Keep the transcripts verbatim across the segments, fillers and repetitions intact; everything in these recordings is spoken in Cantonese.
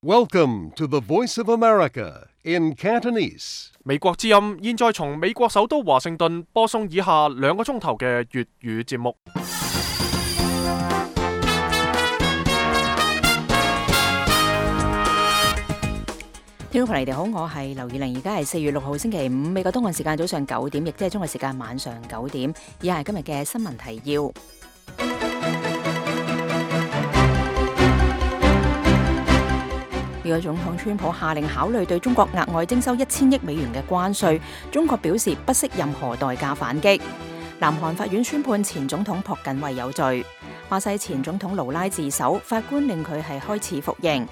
Welcome to the Voice of America in Cantonese. 美國之音現在從美國首都華盛頓播送以下兩個鐘頭嘅粵語節目。聽眾朋友，你哋好，我係劉以玲，而家係四月六號星期五，美國東岸時間早上九點，亦即係中國時間晚上九點。以下係今日嘅新聞提要。美國總統川普下令考慮對中國額外徵收一千億美元嘅關稅，中國表示不惜任何代價反擊。南韓法院宣判前總統朴槿惠有罪。巴西前總統盧拉自首，法官令佢係開始服刑。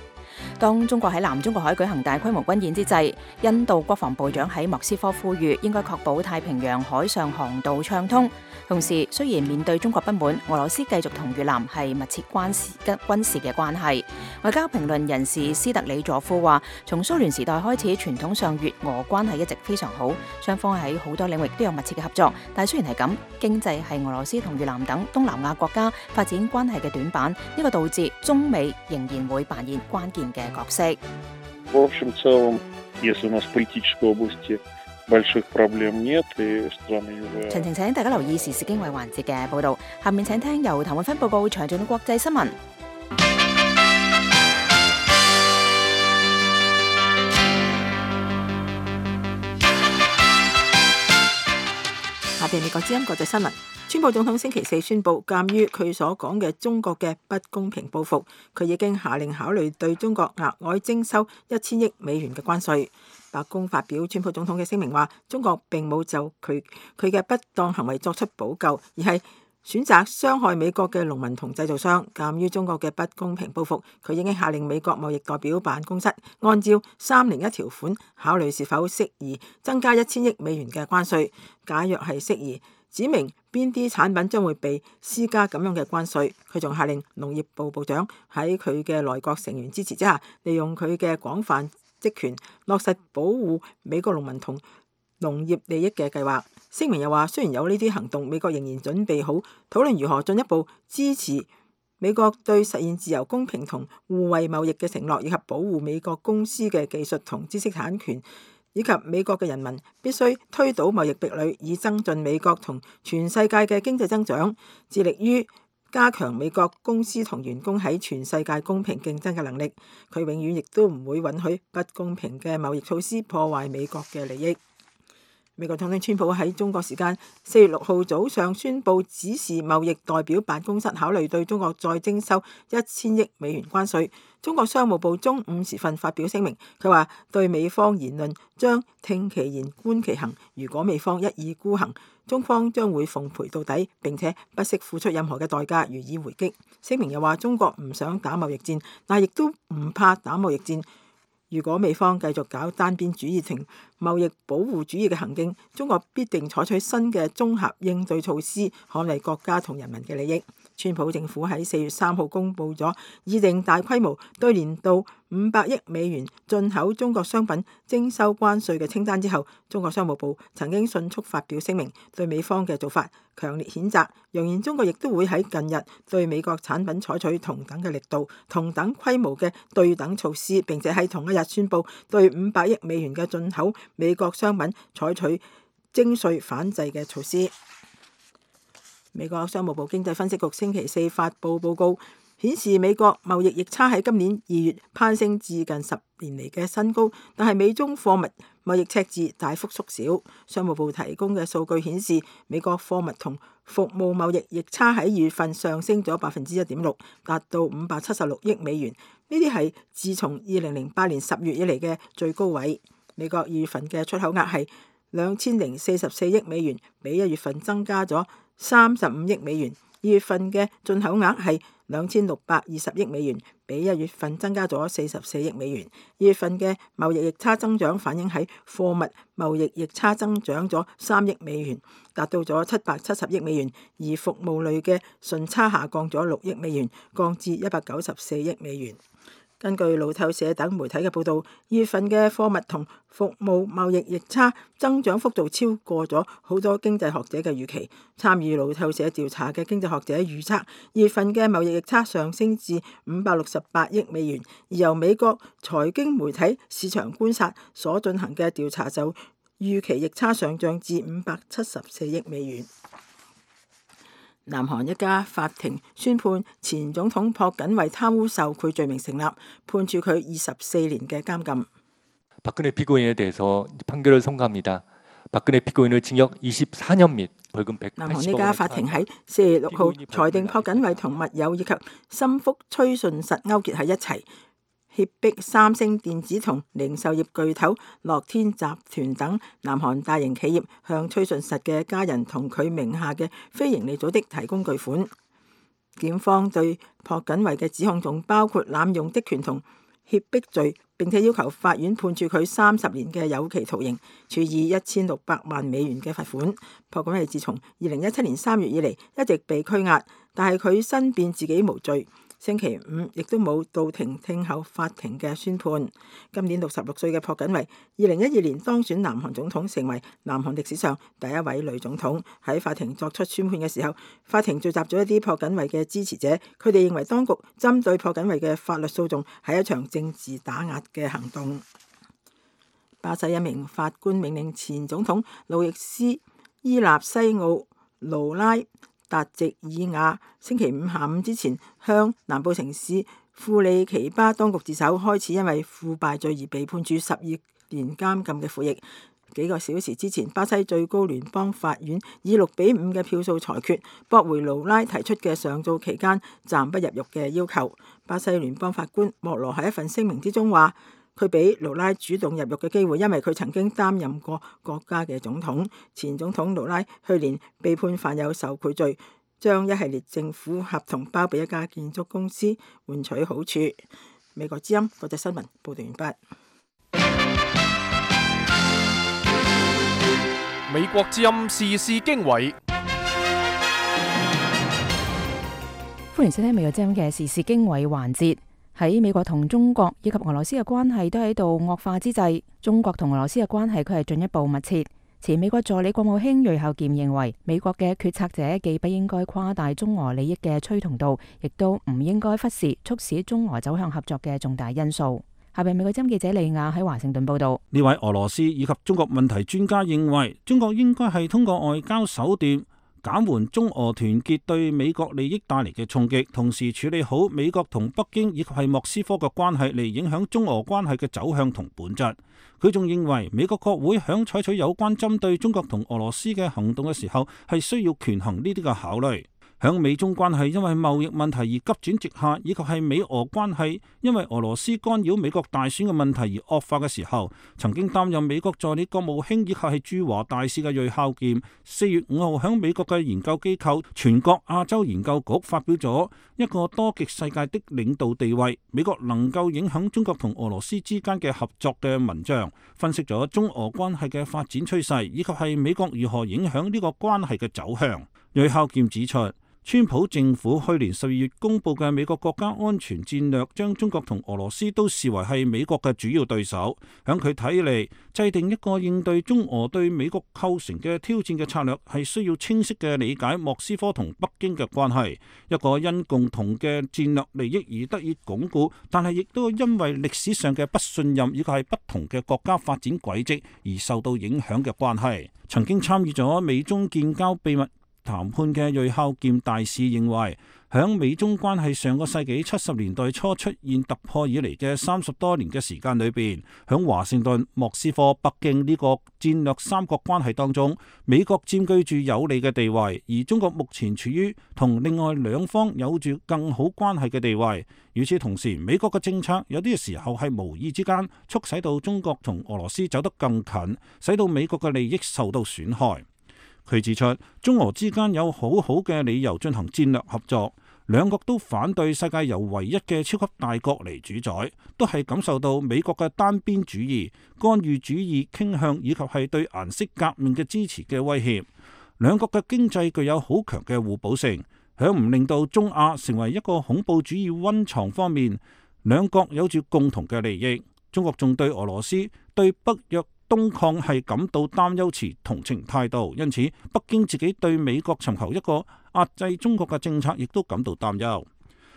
當中國喺南中國海舉行大規模軍演之際，印度國防部長喺莫斯科呼籲應該確保太平洋海上航道暢通。同時，雖然面對中國不滿，俄羅斯繼續同越南係密切關事軍事嘅關係。外交評論人士斯特里佐夫話，從蘇聯時代開始，傳統上越俄關係一直非常好，雙方喺好多領域都有密切嘅合作。但係雖然係咁，經濟係俄羅斯同越南等東南亞國家發展關係嘅短板，呢個導致中美仍然會扮演關鍵嘅角色。В общем целом, если у нас в политической области больших проблем нет, и страны юга。詳情請大家留意時事經緯環節嘅報導。下面請聽由譚永芬報告詳盡嘅國際新聞。下邊美國之音國際新聞。川普總統星期四宣布，鑑於佢所講嘅中國嘅不公平報復，佢已經下令考慮對中國額外徵收一千億美元嘅關稅。白宮發表川普總統嘅聲明話，中國並冇就佢佢嘅不當行為作出補救，而係選擇傷害美國嘅農民同製造商。鑑於中國嘅不公平報復，佢已經下令美國貿易代表辦公室按照三零一條款考慮是否適宜增加一千億美元嘅關稅。假若係適宜，指明邊啲產品將會被施加咁樣嘅關稅。佢仲下令農業部部長喺佢嘅內閣成員支持之下，利用佢嘅廣泛職權落實保護美國農民同農業利益嘅計劃。聲明又話，雖然有呢啲行動，美國仍然準備好討論如何進一步支持美國對實現自由、公平同互惠貿易嘅承諾，以及保護美國公司嘅技術同知識產權，以及美國嘅人民必須推倒貿易壁壘，以增進美國同全世界嘅經濟增長，致力於加強美國公司同員工喺全世界公平競爭嘅能力。佢永遠亦都唔會允許不公平嘅貿易措施破壞美國嘅利益。美國總統川普喺中國時間四月六號早上宣布，指示貿易代表辦公室考慮對中國再徵收一千億美元關稅。中國商務部中午時分發表聲明，佢話對美方言論將聽其言觀其行，如果美方一意孤行，中方將會奉陪到底，並且不惜付出任何嘅代價予以回擊。聲明又話，中國唔想打貿易戰，但亦都唔怕打貿易戰。如果美方繼續搞單邊主義同貿易保護主義嘅行徑，中國必定採取新嘅綜合應對措施，捍衛國家同人民嘅利益。川普政府喺四月三號公布咗擬定大規模對年度五百億美元進口中國商品徵收關稅嘅清單之後，中國商務部曾經迅速發表聲明，對美方嘅做法強烈譴責，揚言中國亦都會喺近日對美國產品採取同等嘅力度、同等規模嘅對等措施，並且喺同一日宣布對五百億美元嘅進口美國商品採取徵稅反制嘅措施。美國商務部經濟分析局星期四發布報告，顯示美國貿易逆差喺今年二月攀升至近十年嚟嘅新高，但係美中貨物貿易赤字大幅縮小。商務部提供嘅數據顯示，美國貨物同服務貿易逆差喺二月份上升咗百分之一點六，達到五百七十六億美元。呢啲係自從二零零八年十月以嚟嘅最高位。美國二月份嘅出口額係兩千零四十四億美元，比一月份增加咗三十五億美元。二月份嘅進口額係兩千六百二十億美元，比一月份增加咗四十四億美元。二月份嘅貿易逆差增長反映喺貨物貿易逆差增長咗三億美元，達到咗七百七十億美元，而服務類嘅順差下降咗六億美元，降至一百九十四億美元。根據路透社等媒體嘅報道，二月份嘅貨物同服務貿易逆差增長幅度超過咗好多經濟學者嘅預期。參與路透社調查嘅經濟學者預測，二月份嘅貿易逆差上升至五百六十八億美元，而由美國財經媒體市場觀察所進行嘅調查就預期逆差上漲至五百七十四億美元。南韓一家法庭宣判前總統朴槿惠貪污受賄罪名成立，判處佢二十四年嘅監禁。南韓呢家法庭喺四月六號裁定朴槿惠同密友以及心腹崔順實勾結喺一齊，脅迫三星電子同零售業巨頭樂天集團等南韓大型企業向崔順實嘅家人同佢名下嘅非營利組織提供巨款。檢方對朴槿惠嘅指控仲包括濫用職權同脅迫罪，並且要求法院判處佢三十年嘅有期徒刑，處以一千六百萬美元嘅罰款。朴槿惠自從二零一七年三月以嚟一直被拘押，但係佢申辯自己無罪。星期五亦都冇到庭聽候法庭嘅宣判。今年六十六歲嘅朴槿惠，二零一二年當選南韓總統，成為南韓歷史上第一位女總統。喺法庭作出宣判嘅時候，法庭聚集咗一啲朴槿惠嘅支持者，佢哋認為當局針對朴槿惠嘅法律訴訟係一場政治打壓嘅行動。巴西一名法官命令前總統路易斯伊納西奧盧拉達席爾亞星期五下午之前向南部城市庫里奇巴當局自首，開始因為腐敗罪而被判處十二年監禁嘅苦役。幾個小時之前，巴西最高聯邦法院以六比五嘅票數裁決，駁回盧拉提出嘅上訴期間暫不入獄嘅要求。巴西聯邦法官莫羅喺一份聲明之中話，佢俾盧拉主動入獄嘅機會，因為佢曾經擔任過國家嘅總統。前總統盧拉去年被判犯有受賄罪，將一系列政府合同包庇一家建築公司換取好處。美國之音國際新聞報道完畢。美國之音時事經緯，歡迎收聽美國之音嘅時事經緯環節。喺美國同中國以及俄羅斯嘅關係都喺度惡化之際，中國同俄羅斯嘅關係佢係進一步密切。前美國助理國務卿瑞孝儉認為，美國嘅決策者既不應該誇大中俄利益嘅趨同度，亦都唔應該忽視促使中俄走向合作嘅重大因素。下邊美國之音記者利亞喺華盛頓報道。呢位俄羅斯以及中國問題專家認為，中國應該係通過外交手段減緩中俄團結對美國利益帶嚟嘅衝擊，同時處理好美國同北京以及係莫斯科嘅關係，嚟影響中俄關係嘅走向同本質。佢仲認為，美國國會響採取有關針對中國同俄羅斯嘅行動嘅時候，係需要權衡呢啲嘅考慮。響美中關係因為貿易問題而急轉直下，以及係美俄關係因為俄羅斯干擾美國大選嘅問題而惡化嘅時候，曾經擔任美國助理國務卿以及係駐華大使嘅瑞孝儉，四月五號響美國嘅研究機構全國亞洲研究局發表咗一個多極世界的領導地位，美國能夠影響中國同俄羅斯之間嘅合作嘅文章，分析咗中俄關係嘅發展趨勢，以及係美國如何影響呢個關係嘅走向。瑞孝儉指出，川普政府去年十二月公布嘅美國國家安全戰略，將中國同俄羅斯都視為係美國嘅主要對手。響佢睇嚟，制定一個應對中俄對美國構成嘅挑戰嘅策略，係需要清晰嘅理解莫斯科同北京嘅關係，一個因共同嘅戰略利益而得以鞏固，但係亦都因為歷史上嘅不信任以及係不同嘅國家發展軌跡而受到影響嘅關係。曾經參與咗美中建交秘密談判嘅瑞孝儉大使認為，響美中關係上個世紀七十年代初出現突破以嚟嘅三十多年嘅時間裏邊，響華盛頓、莫斯科、北京呢個戰略三角關係當中，美國佔據住有利嘅地位，而中國目前處於同另外兩方有住更好關係嘅地位。與此同時，美國嘅政策有啲時候係無意之間促使到中國同俄羅斯走得更近，使到美國嘅利益受到損害。佢指出，中俄之間有好好嘅理由進行戰略合作，兩國都反對世界由唯一嘅超級大國嚟主宰，都係感受到美國嘅單邊主義、干預主義傾向以及係對顏色革命嘅支持嘅威脅。兩國嘅經濟具有好強嘅互補性，響唔令到中亞成為一個恐怖主義溫床方面，兩國有住共同嘅利益。中國仲對俄羅斯對北約東擴係感到擔憂，持同情態度，因此北京自己對美國尋求一個壓制中國嘅政策，亦都感到擔憂。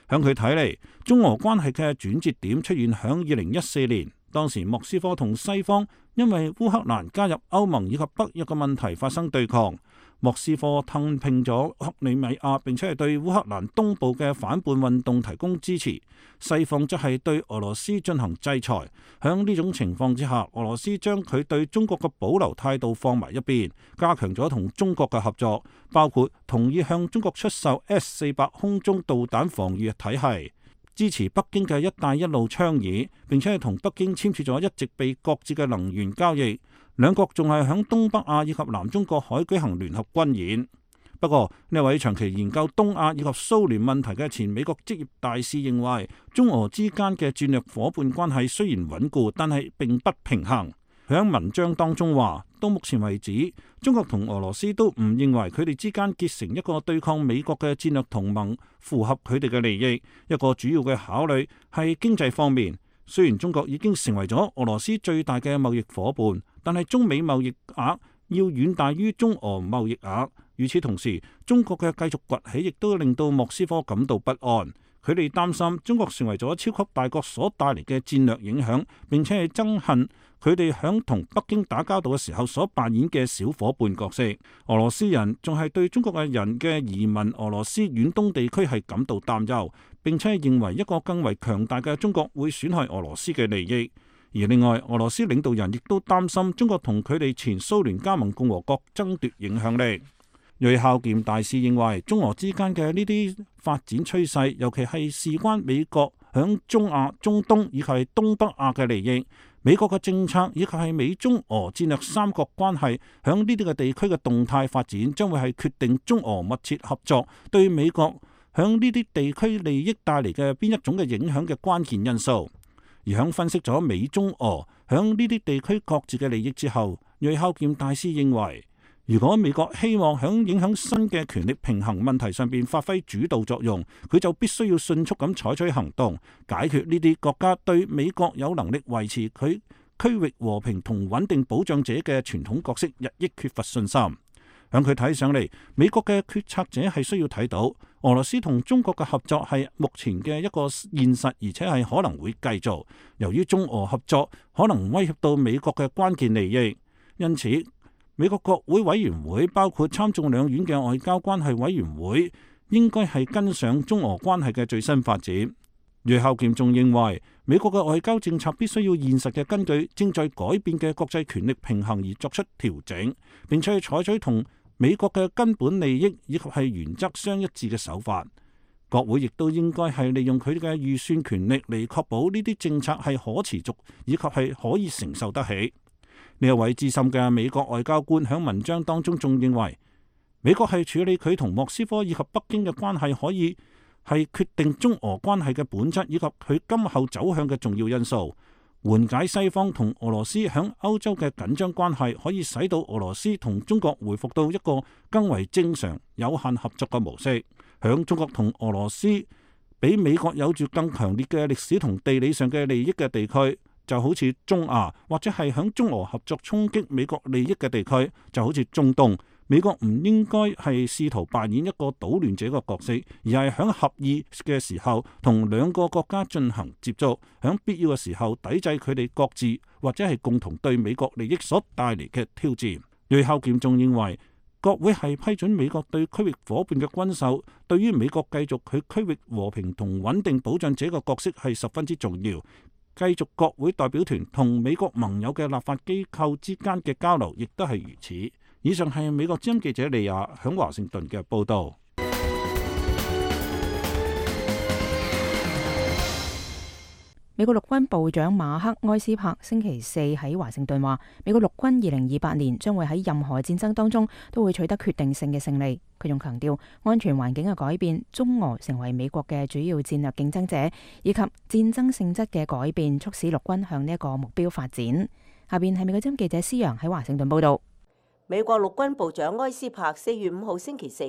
響佢睇嚟，中俄關係嘅轉折點出現響二零一四年，當時莫斯科同西方因為烏克蘭加入歐盟以及北約嘅問題發生對抗。莫斯科吞併咗克里米亞，並且係對烏克蘭東部嘅反叛運動提供支持。西方則係對俄羅斯進行制裁。響呢種情況之下，俄羅斯將佢對中國嘅保留態度放埋一邊，加強咗同中國嘅合作，包括同意向中國出售 S 四百空中導彈防禦體系，支持北京嘅一帶一路倡議，並且係同北京簽署咗一直被擱置嘅能源交易。兩國仲係響東北亞以及南中國海舉行聯合軍演。不過呢位長期研究東亞以及蘇聯問題嘅前美國職業大使認為，中俄之間嘅戰略夥伴關係雖然穩固，但係並不平衡。佢喺文章當中話，到目前為止，中國同俄羅斯都唔認為佢哋之間結成一個對抗美國嘅戰略同盟符合佢哋嘅利益。一個主要嘅考慮係經濟方面。雖然中國已經成為咗俄羅斯最大嘅貿易夥伴，但係中美貿易額要遠大於中俄貿易額。與此同時，中國嘅繼續崛起亦都令到莫斯科感到不安。佢哋擔心中國成為咗超級大國所帶嚟嘅戰略影響，並且係憎恨佢哋響同北京打交道嘅時候所扮演嘅小夥伴角色。俄羅斯人仲係對中國嘅人嘅移民俄羅斯遠東地區係感到擔憂，並且係認為一個更為強大嘅中國會損害俄羅斯嘅利益。而另外，俄羅斯領導人亦都擔心中國同佢哋前蘇聯加盟共和國爭奪影響力。瑞孝儉大使認為，中俄之間嘅呢啲發展趨勢，尤其係事關美國響中亞、中東以及係東北亞嘅利益。美國嘅政策以及係美中俄戰略三角關係響呢啲嘅地區嘅動態發展，將會係決定中俄密切合作對美國響呢啲地區利益帶嚟嘅邊一種嘅影響嘅關鍵因素。而響分析咗美中俄響呢啲地區各自嘅利益之後，瑞孝儉大使認為，如果美國希望響影響新嘅權力平衡問題上邊發揮主導作用，佢就必須要迅速咁採取行動，解決呢啲國家對美國有能力維持佢區域和平同穩定保障者嘅傳統角色日益缺乏信心。響佢睇上嚟，美國嘅決策者係需要睇到俄羅斯同中國嘅合作係目前嘅一個現實，而且係可能會繼續。由於中俄合作可能威脅到美國嘅關鍵利益，因此美國國會委員會包括參眾兩院嘅外交關係委員會應該係跟上中俄關係嘅最新發展。瑞孝儉仲認為，美國嘅外交政策必須要現實嘅根據正在改變嘅國際權力平衡而作出調整，並且採取同美國嘅根本利益以及係原則相一致嘅手法。國會亦都應該係利用佢哋嘅預算權力嚟確保呢啲政策係可持續以及係可以承受得起。呢一位資深嘅美國外交官喺文章當中仲認為，美國係處理佢同莫斯科以及北京嘅關係，可以係決定中俄關係嘅本質以及佢今後走向嘅重要因素。緩解西方同俄羅斯響歐洲嘅緊張關係，可以使到俄羅斯同中國回復到一個更為正常、有限合作嘅模式。響中國同俄羅斯比美國有住更強烈嘅歷史同地理上嘅利益嘅地區，就好似中亞，或者係響中俄合作衝擊美國利益嘅地區，就好似中東。美國唔應該係試圖扮演一個搗亂者嘅角色，而係響合意嘅時候同兩個國家進行接觸，響必要嘅時候抵制佢哋各自或者係共同對美國利益所帶嚟嘅挑戰。瑞孝儉仲認為，國會係批准美國對區域夥伴嘅軍售，對於美國繼續佢區域和平同穩定保障者嘅角色係十分之重要。繼續國會代表團同美國盟友嘅立法機構之間嘅交流，亦都係如此。以上係美國之音記者利亞響華盛頓嘅報道。美國陸軍部長馬克埃斯珀星期四喺華盛頓話，美國陸軍二零二八年將會喺任何戰爭當中都會取得決定性嘅勝利。佢仲強調，安全環境嘅改變、中俄成為美國嘅主要戰略競爭者，以及戰爭性質嘅改變，促使陸軍向呢一個目標發展。下邊係美國之音記者施洋喺華盛頓報道。美國陸軍部長埃斯珀四月五號星期四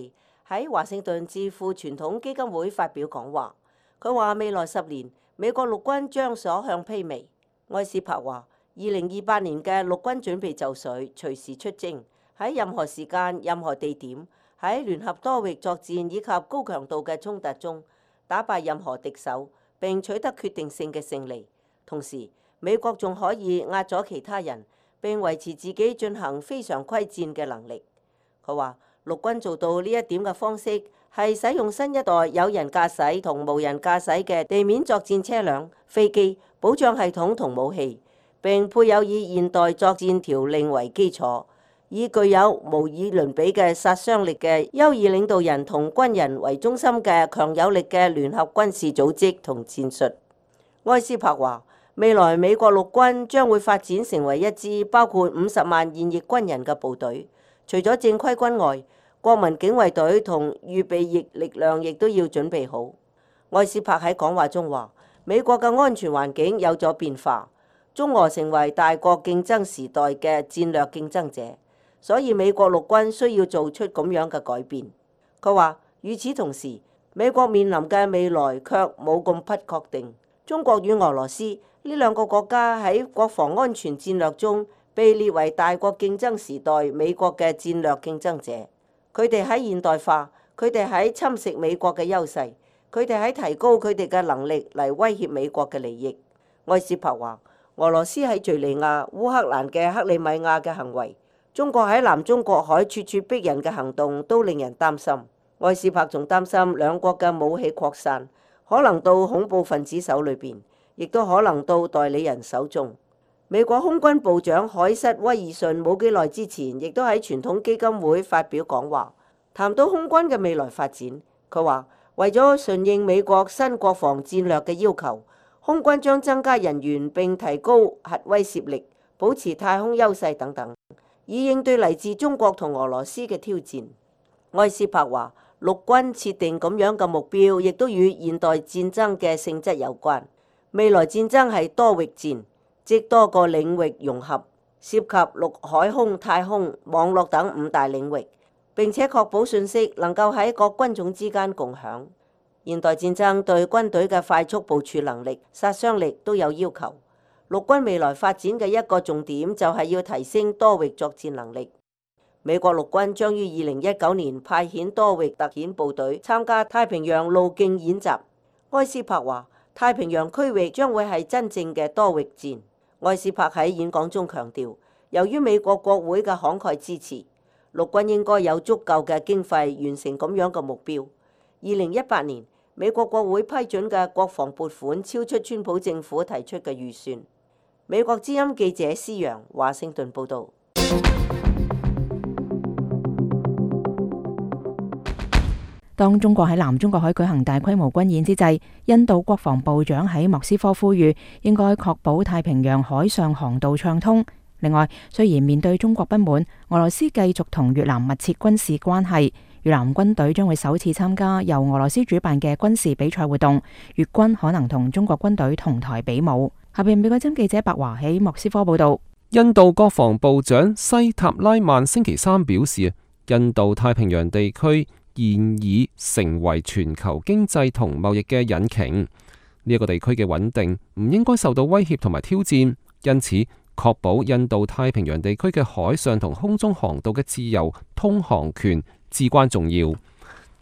喺華盛頓智庫傳統基金會發表講話，佢話未來十年美國陸軍將所向披靡。埃斯珀話：二零二八年嘅陸軍準備就緒，隨時出征，喺任何時間、任何地點，喺聯合多域作戰以及高強度嘅衝突中，打敗任何敵手並取得決定性嘅勝利。同時，美國仲可以壓咗其他人，並維持自己進行非常規戰嘅能力。佢話：陸軍做到呢一點嘅方式係使用新一代有人駕駛同無人駕駛嘅地面作戰車輛、飛機、保障系統同武器，並配有以現代作戰條令為基礎，以具有無以倫比嘅殺傷力嘅優異領導人同軍人為中心嘅強有力嘅聯合軍事組織同戰術。埃斯珀話：未來美國陸軍將會發展成為一支包括五十萬現役軍人嘅部隊，除咗正規軍外，國民警衛隊同預備役力量亦都要準備好。埃斯珀喺講話中話：美國嘅安全環境有咗變化，中俄成為大國競爭時代嘅戰略競爭者，所以美國陸軍需要做出咁樣嘅改變。佢話：與此同時，美國面臨嘅未來卻冇咁不確定。中國與俄羅斯呢兩個國家喺國防安全戰略中被列為大國競爭時代美國嘅戰略競爭者。佢哋喺現代化，佢哋喺侵蝕美國嘅優勢，佢哋喺提高佢哋嘅能力嚟威脅美國嘅利益。埃斯珀話：俄羅斯喺敘利亞、烏克蘭嘅克里米亞嘅行為，中國喺南中國海處處逼人嘅行動都令人擔心。埃斯珀仲擔心兩國嘅武器擴散，可能到恐怖分子手裏邊，亦都可能到代理人手中。美國空軍部長海瑟威爾遜冇幾耐之前，亦都喺傳統基金會發表講話，談到空軍嘅未來發展。佢話：為咗順應美國新國防戰略嘅要求，空軍將增加人員並提高核威懾力，保持太空優勢等等，以應對嚟自中國同俄羅斯嘅挑戰。埃斯珀話：陸軍設定咁樣嘅目標，亦都與現代戰爭嘅性質有關。未來戰爭係多域戰，即多個領域融合，涉及陸海空太空網絡等五大領域，並且確保信息能夠喺各軍種之間共享。現代戰爭對軍隊嘅快速部署能力、殺傷力都有要求。陸軍未來發展嘅一個重點就係要提升多域作戰能力。美國陸軍將於二零一九年派遣多域特遣部隊參加太平洋路徑演習。埃斯珀話：太平洋區域將會係真正嘅多域戰。埃斯珀喺演講中強調，由於美國國會嘅慷慨支持，陸軍應該有足夠嘅經費完成咁樣嘅目標。二零一八年，美國國會批准嘅國防撥款超出川普政府提出嘅預算。美國之音記者施洋華盛頓報導。當中國喺南中國海舉行大規模軍演之際，印度國防部長喺莫斯科呼籲應該確保太平洋海上航道暢通。另外，雖然面對中國不滿，俄羅斯繼續同越南密切軍事關係，越南軍隊將會首次參加由俄羅斯主辦嘅軍事比賽活動，越軍可能同中國軍隊同台比武。下邊美國之音記者白華喺莫斯科報道。印度國防部長西塔拉曼星期三表示，印度太平洋地區現已成為全球經濟同貿易嘅引擎，呢、這、一個地區嘅穩定唔應該受到威脅同埋挑戰，因此確保印度太平洋地區嘅海上同空中航道嘅自由通航權至關重要。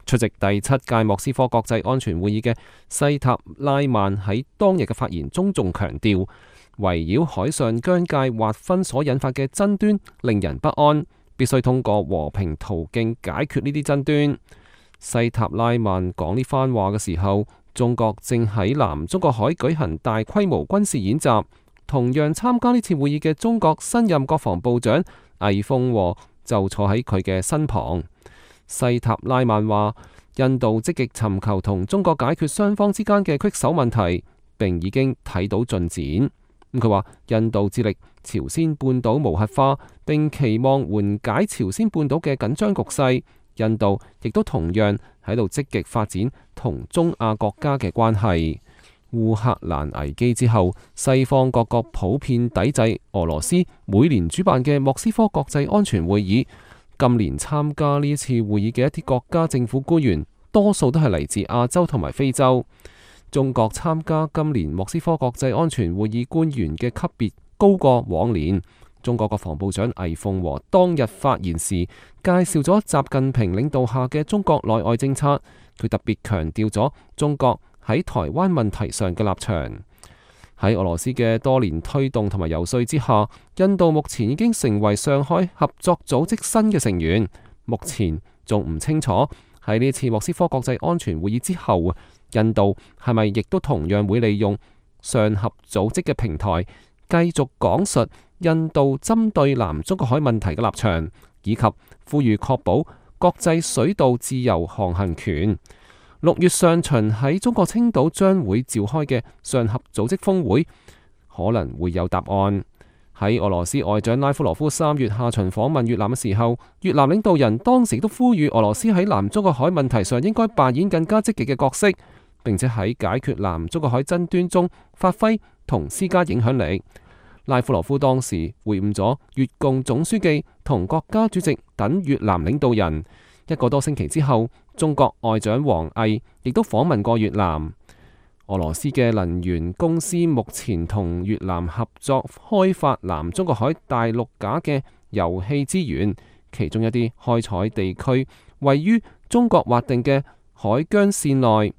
出席第七屆莫斯科國際安全會議嘅西塔拉曼喺當日嘅發言中仲強調，圍繞海上疆界劃分所引發嘅爭端令人不安，必須通過和平途徑解決呢啲爭端。西塔拉曼講呢番話嘅時候，中國正喺南中國海舉行大規模軍事演習。同樣參加呢次會議嘅中國新任國防部長魏鳳和就坐喺佢嘅身旁。西塔拉曼話，印度積極尋求同中國解決雙方之間嘅棘手問題，並已經睇到進展。佢話印度致力朝鮮半島無核化，並期望緩解朝鮮半島嘅緊張局勢。印度亦都同樣喺度積極發展同中亞國家嘅關係。烏克蘭危機之後，西方各國普遍抵制俄羅斯每年主辦嘅莫斯科國際安全會議。今年參加呢次會議嘅一啲國家政府官員，多數都係嚟自亞洲同埋非洲。中國參加今年莫斯科國際安全會議官員嘅級別高過往年。中國國防部長魏鳳和當日發言時介紹咗習近平領導下嘅中國內外政策，佢特別強調咗中國喺台灣問題上嘅立場。喺俄羅斯嘅多年推動同埋游說之下，印度目前已經成為上海合作組織新嘅成員。目前仲唔清楚喺呢次莫斯科國際安全會議之後，印度係咪亦都同樣會利用上合組織嘅平台，繼續講述印度針對南中國海問題嘅立場，以及呼籲確保國際水道自由航行權。六月上旬喺中國青島將會召開嘅上合組織峰會，可能會有答案。喺俄羅斯外長拉夫羅夫三月下旬訪問越南嘅時候，越南領導人當時都呼籲俄羅斯喺南中國海問題上應該扮演更加積極嘅角色，並且喺解決南中國海爭端中發揮同施加影響力。拉夫羅夫當時會晤咗越共總書記同國家主席等越南領導人。一個多星期之後，中國外長王毅亦都訪問過越南。俄羅斯嘅能源公司目前同越南合作開發南中國海大陸架嘅油氣資源，其中一啲開採地區位於中國劃定嘅海疆線內。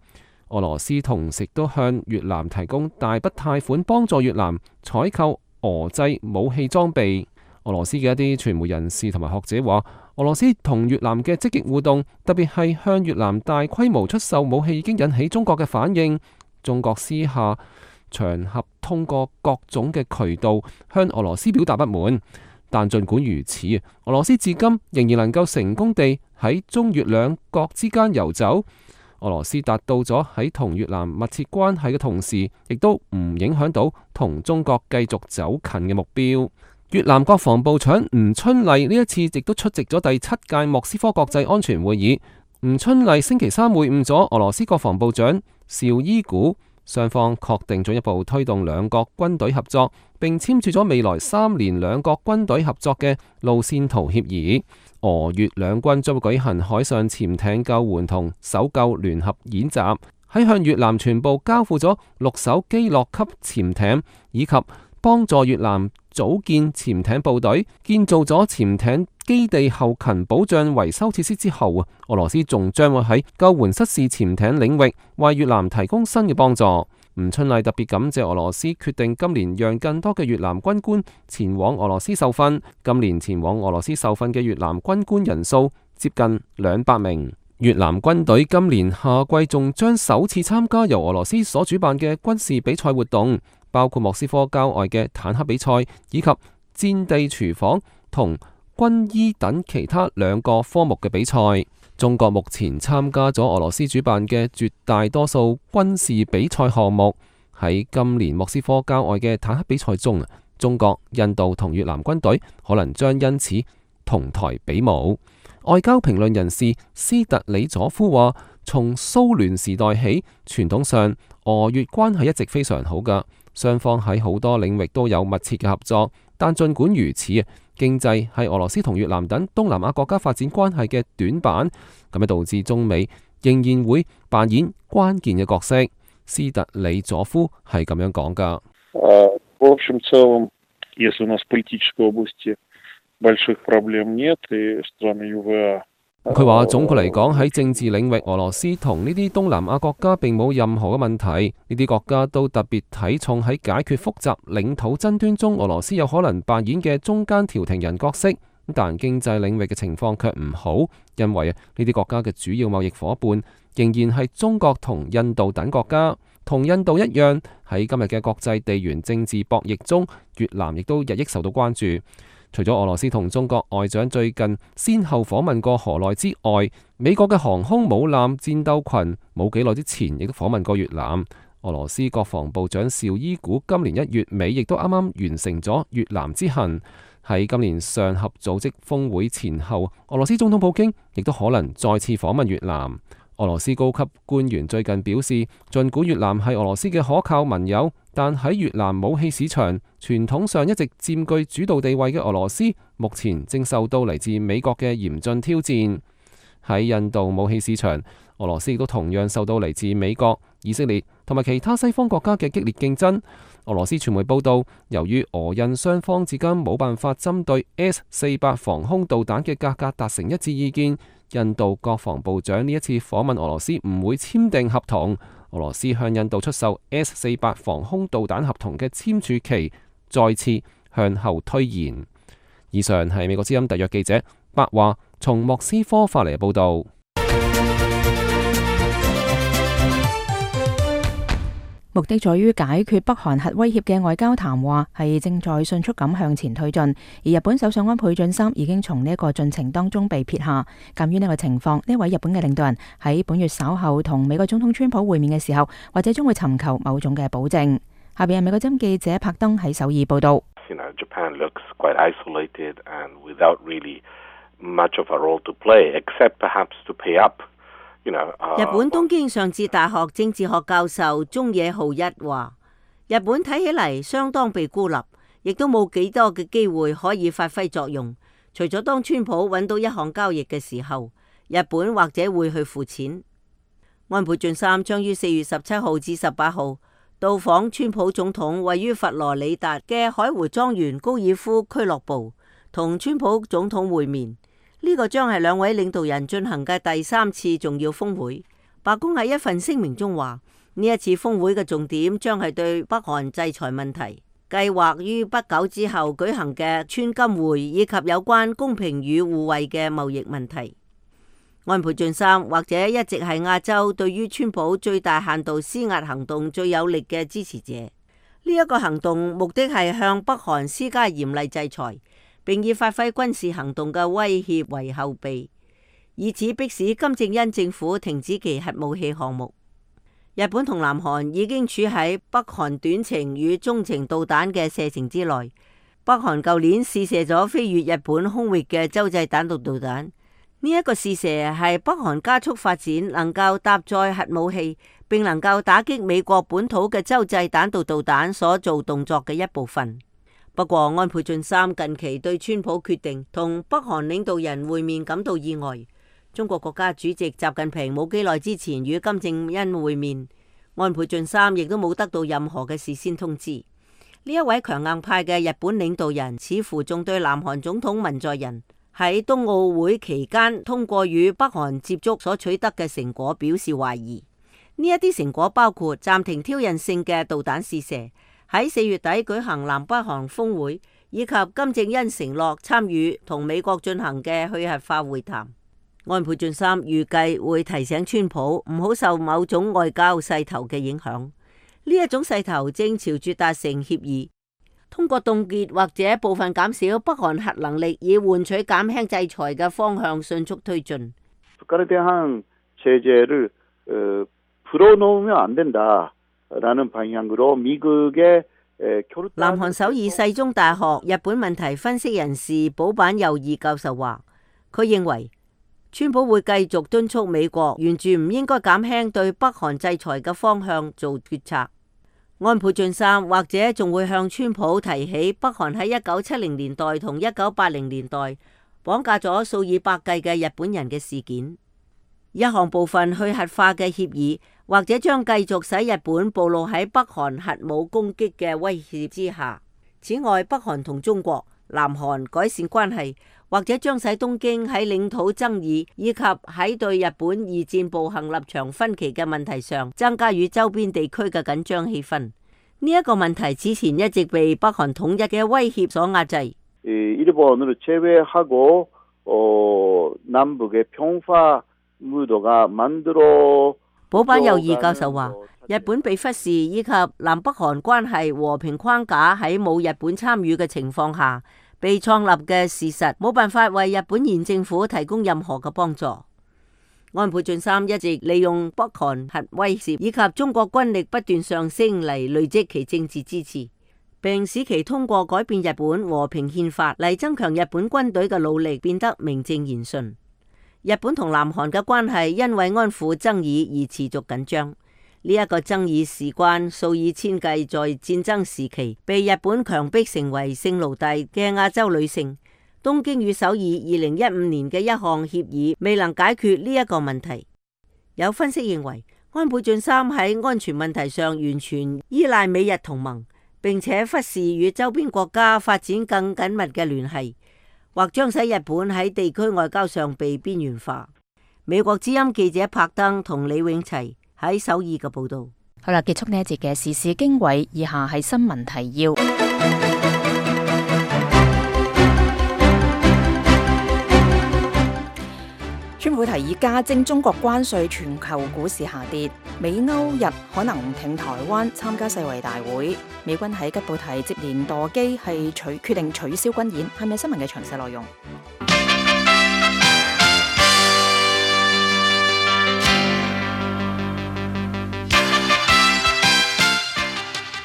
俄羅斯同時都向越南提供大筆貸款，幫助越南採購俄製武器裝備。俄羅斯嘅一啲傳媒人士同埋學者話，俄羅斯同越南嘅積極互動，特別係向越南大規模出售武器，已經引起中國嘅反應。中國私下場合通過各種嘅渠道向俄羅斯表達不滿，但儘管如此，俄羅斯至今仍然能夠成功地喺中越兩國之間游走。俄羅斯達到咗喺同越南密切關係嘅同時，亦都唔影響到同中國繼續走近嘅目標。越南國防部長吳春麗呢一次亦都出席咗第七屆莫斯科國際安全會議。吳春麗星期三會晤咗俄羅斯國防部長邵伊古，雙方確定進一步推動兩國軍隊合作，並簽署咗未來三年兩國軍隊合作嘅路線圖協議。俄越兩軍將會舉行海上潛艇救援同搜救聯合演習，喺向越南全部交付咗六艘基洛級潛艇，以及幫助越南組建潛艇部隊、建造咗潛艇基地後勤保障維修設施之後啊，俄羅斯仲將會喺救援失事潛艇領域為越南提供新嘅幫助。吳春麗特別感謝俄羅斯決定今年讓更多嘅越南軍官前往俄羅斯受訓。今年前往俄羅斯受訓嘅越南軍官人數接近兩百名。越南軍隊今年夏季仲將首次參加由俄羅斯所主辦嘅軍事比賽活動，包括莫斯科郊外嘅坦克比賽，以及戰地廚房同軍醫等其他兩個科目嘅比賽。中國目前參加咗俄羅斯主辦嘅絕大多數軍事比賽項目。喺今年莫斯科郊外嘅坦克比賽中，中國、印度同越南軍隊可能將因此同台比武。外交評論人士斯特里佐夫話，從蘇聯時代起，傳統上俄越關係一直非常好㗎，雙方喺好多領域都有密切嘅合作。但儘管如此，經濟係俄羅斯同越南等東南亞國家發展關係嘅短板，咁樣導致中美仍然會扮演關鍵嘅角色。斯特里佐夫係咁樣講㗎。В общем целом, если у нас в политической области больших проблем нет, и страны ю ви а。佢話總括嚟講，喺政治領域，俄羅斯同呢啲東南亞國家並冇任何嘅問題。呢啲國家都特別睇重喺解決複雜領土爭端中，俄羅斯有可能扮演嘅中間調停人角色。但經濟領域嘅情況卻唔好，因為呢啲國家嘅主要貿易夥伴仍然係中國同印度等國家。同印度一樣，喺今日嘅國際地緣政治博弈中，越南亦都日益受到關注。除咗俄羅斯同中國外長最近先後訪問過河內之外，美國嘅航空母艦戰鬥群冇幾耐之前亦都訪問過越南。俄羅斯國防部長邵伊古今年一月尾亦都啱啱完成咗越南之行。喺今年上合組織峰會前後，俄羅斯總統普京亦都可能再次訪問越南。俄羅斯高級官員最近表示，儘管越南係俄羅斯嘅可靠盟友，但喺越南武器市場傳統上一直佔據主導地位嘅俄羅斯，目前正受到嚟自美國嘅嚴峻挑戰。喺印度武器市場，俄羅斯亦都同樣受到嚟自美國、以色列同埋其他西方國家嘅激烈競爭。俄羅斯傳媒報道，由於俄印雙方至今冇辦法針對 S 四百防空導彈嘅價格達成一致意見，印度國防部長呢一次訪問俄羅斯唔會簽訂合同。俄羅斯向印度出售 S 四百防空導彈合同嘅簽署期再次向後推延。以上係美國之音特約記者白華從莫斯科發嚟嘅報道。目的在於解決北韓核威脅嘅外交談話係正在迅速咁向前推進，而日本首相安倍晉三已經從呢一個進程當中被撇下。鑑於呢個情況，呢位日本嘅領導人喺本月稍後同美國總統川普會面嘅時候，或者將會尋求某種嘅保證。下邊係美國之音記者柏登喺首爾報道。You know, Japan looks quite isolated and without really much of a role to play, except perhaps to pay up.日本東京上智大學政治學教授中野浩一話：日本睇起嚟相當被孤立，亦都冇幾多嘅機會可以發揮作用。除咗當川普揾到一項交易嘅時候，日本或者會去付錢。安倍晉三將於四月十七號至十八號到訪川普總統位於佛羅里達嘅海湖莊園高爾夫俱樂部，同川普總統會面。呢個將係兩位領導人進行嘅第三次重要峰會。白宮喺一份聲明中話，呢一次峰會嘅重點將係對北韓制裁問題、計劃於不久之後舉行嘅川金會以及有關公平與互惠嘅貿易問題。安倍晉三或者一直係亞洲對於川普最大限度施壓行動最有力嘅支持者。呢、這、一個行動目的係向北韓施加嚴厲制裁，並以發揮軍事行動嘅威脅為後備，以此迫使金正恩政府停止其核武器項目。日本同南韓已經處喺北韓短程與中程導彈嘅射程之內。北韓舊年試射咗飛越日本空域嘅洲際彈道導彈，呢、這、一個試射係北韓加速發展能夠搭載核武器，並能夠打擊美國本土嘅洲際彈道導彈所做動作嘅一部分。不過，安倍晉三近期對川普決定同北韓領導人會面感到意外。中國國家主席習近平冇幾耐之前與金正恩會面，安倍晉三亦都冇得到任何嘅事先通知。呢一位強硬派嘅日本領導人似乎仲對南韓總統文在寅喺冬奧會期間通過與北韓接觸所取得嘅成果表示懷疑。呢一啲成果包括暫停挑釁性嘅導彈試射，喺四月底舉行南北韓峰會，以及金正恩承諾參與同美國進行嘅去核化會談。安倍晉三預計會提醒川普唔好受某種外交勢頭嘅影響。呢一種勢頭正朝住達成協議，通過凍結或者部分減少北韓核能力，以換取減輕制裁嘅方向迅速推進。南韓首爾世宗大學日本問題分析人士保坂佑二教授話，佢認為川普會繼續敦促美國沿住唔應該減輕對北韓制裁嘅方向做決策。安倍晉三或者仲會向川普提起北韓喺一九七零年代同一九八零年代綁架咗數以百計嘅日本人嘅事件。一項部分去核化嘅協議，或者將繼續使日本暴露喺北韓核武攻擊嘅威脅之下。此外，北韓同中國、南韓改善關係，或者將使東京喺領土爭議以及喺對日本二戰暴行立場分歧嘅問題上，增加與周邊地區嘅緊張氣氛。呢、這、一個問題此前一直被北韓統一嘅威脅所壓制。일본을 제외하고 어, 남북의 평화 무도가 만들어。保坂佑二教授話，日本被忽視以及南北韓關係和平框架喺冇日本參與嘅情況下被創立嘅事實，冇辦法為日本現政府提供任何嘅幫助。安倍晉三一直利用北韓核威懾以及中國軍力不斷上升嚟累積其政治支持，並使其通過改變日本和平憲法嚟增強日本軍隊嘅努力變得名正言順。日本同南韓嘅關係因為安撫爭議而持續緊張。呢、這、一個爭議事關數以千計在戰爭時期被日本強迫成為性奴隸嘅亞洲女性。東京與首爾二零一五年嘅一項協議未能解決呢一個問題。有分析認為，安倍晉三喺安全問題上完全依賴美日同盟，並且忽視與周邊國家發展更緊密嘅聯繫，或將使日本喺地區外交上被邊緣化。美國之音記者柏登同李永齊喺首爾嘅報道。好啦，結束呢一節嘅時事經緯，以下係新聞提要。川普提議加徵中國關稅，全球股市下跌。美歐日可能唔挺台灣參加世衛大會。美軍喺吉布提接連墮機，係取決定取消軍演。係咪新聞嘅詳細內容？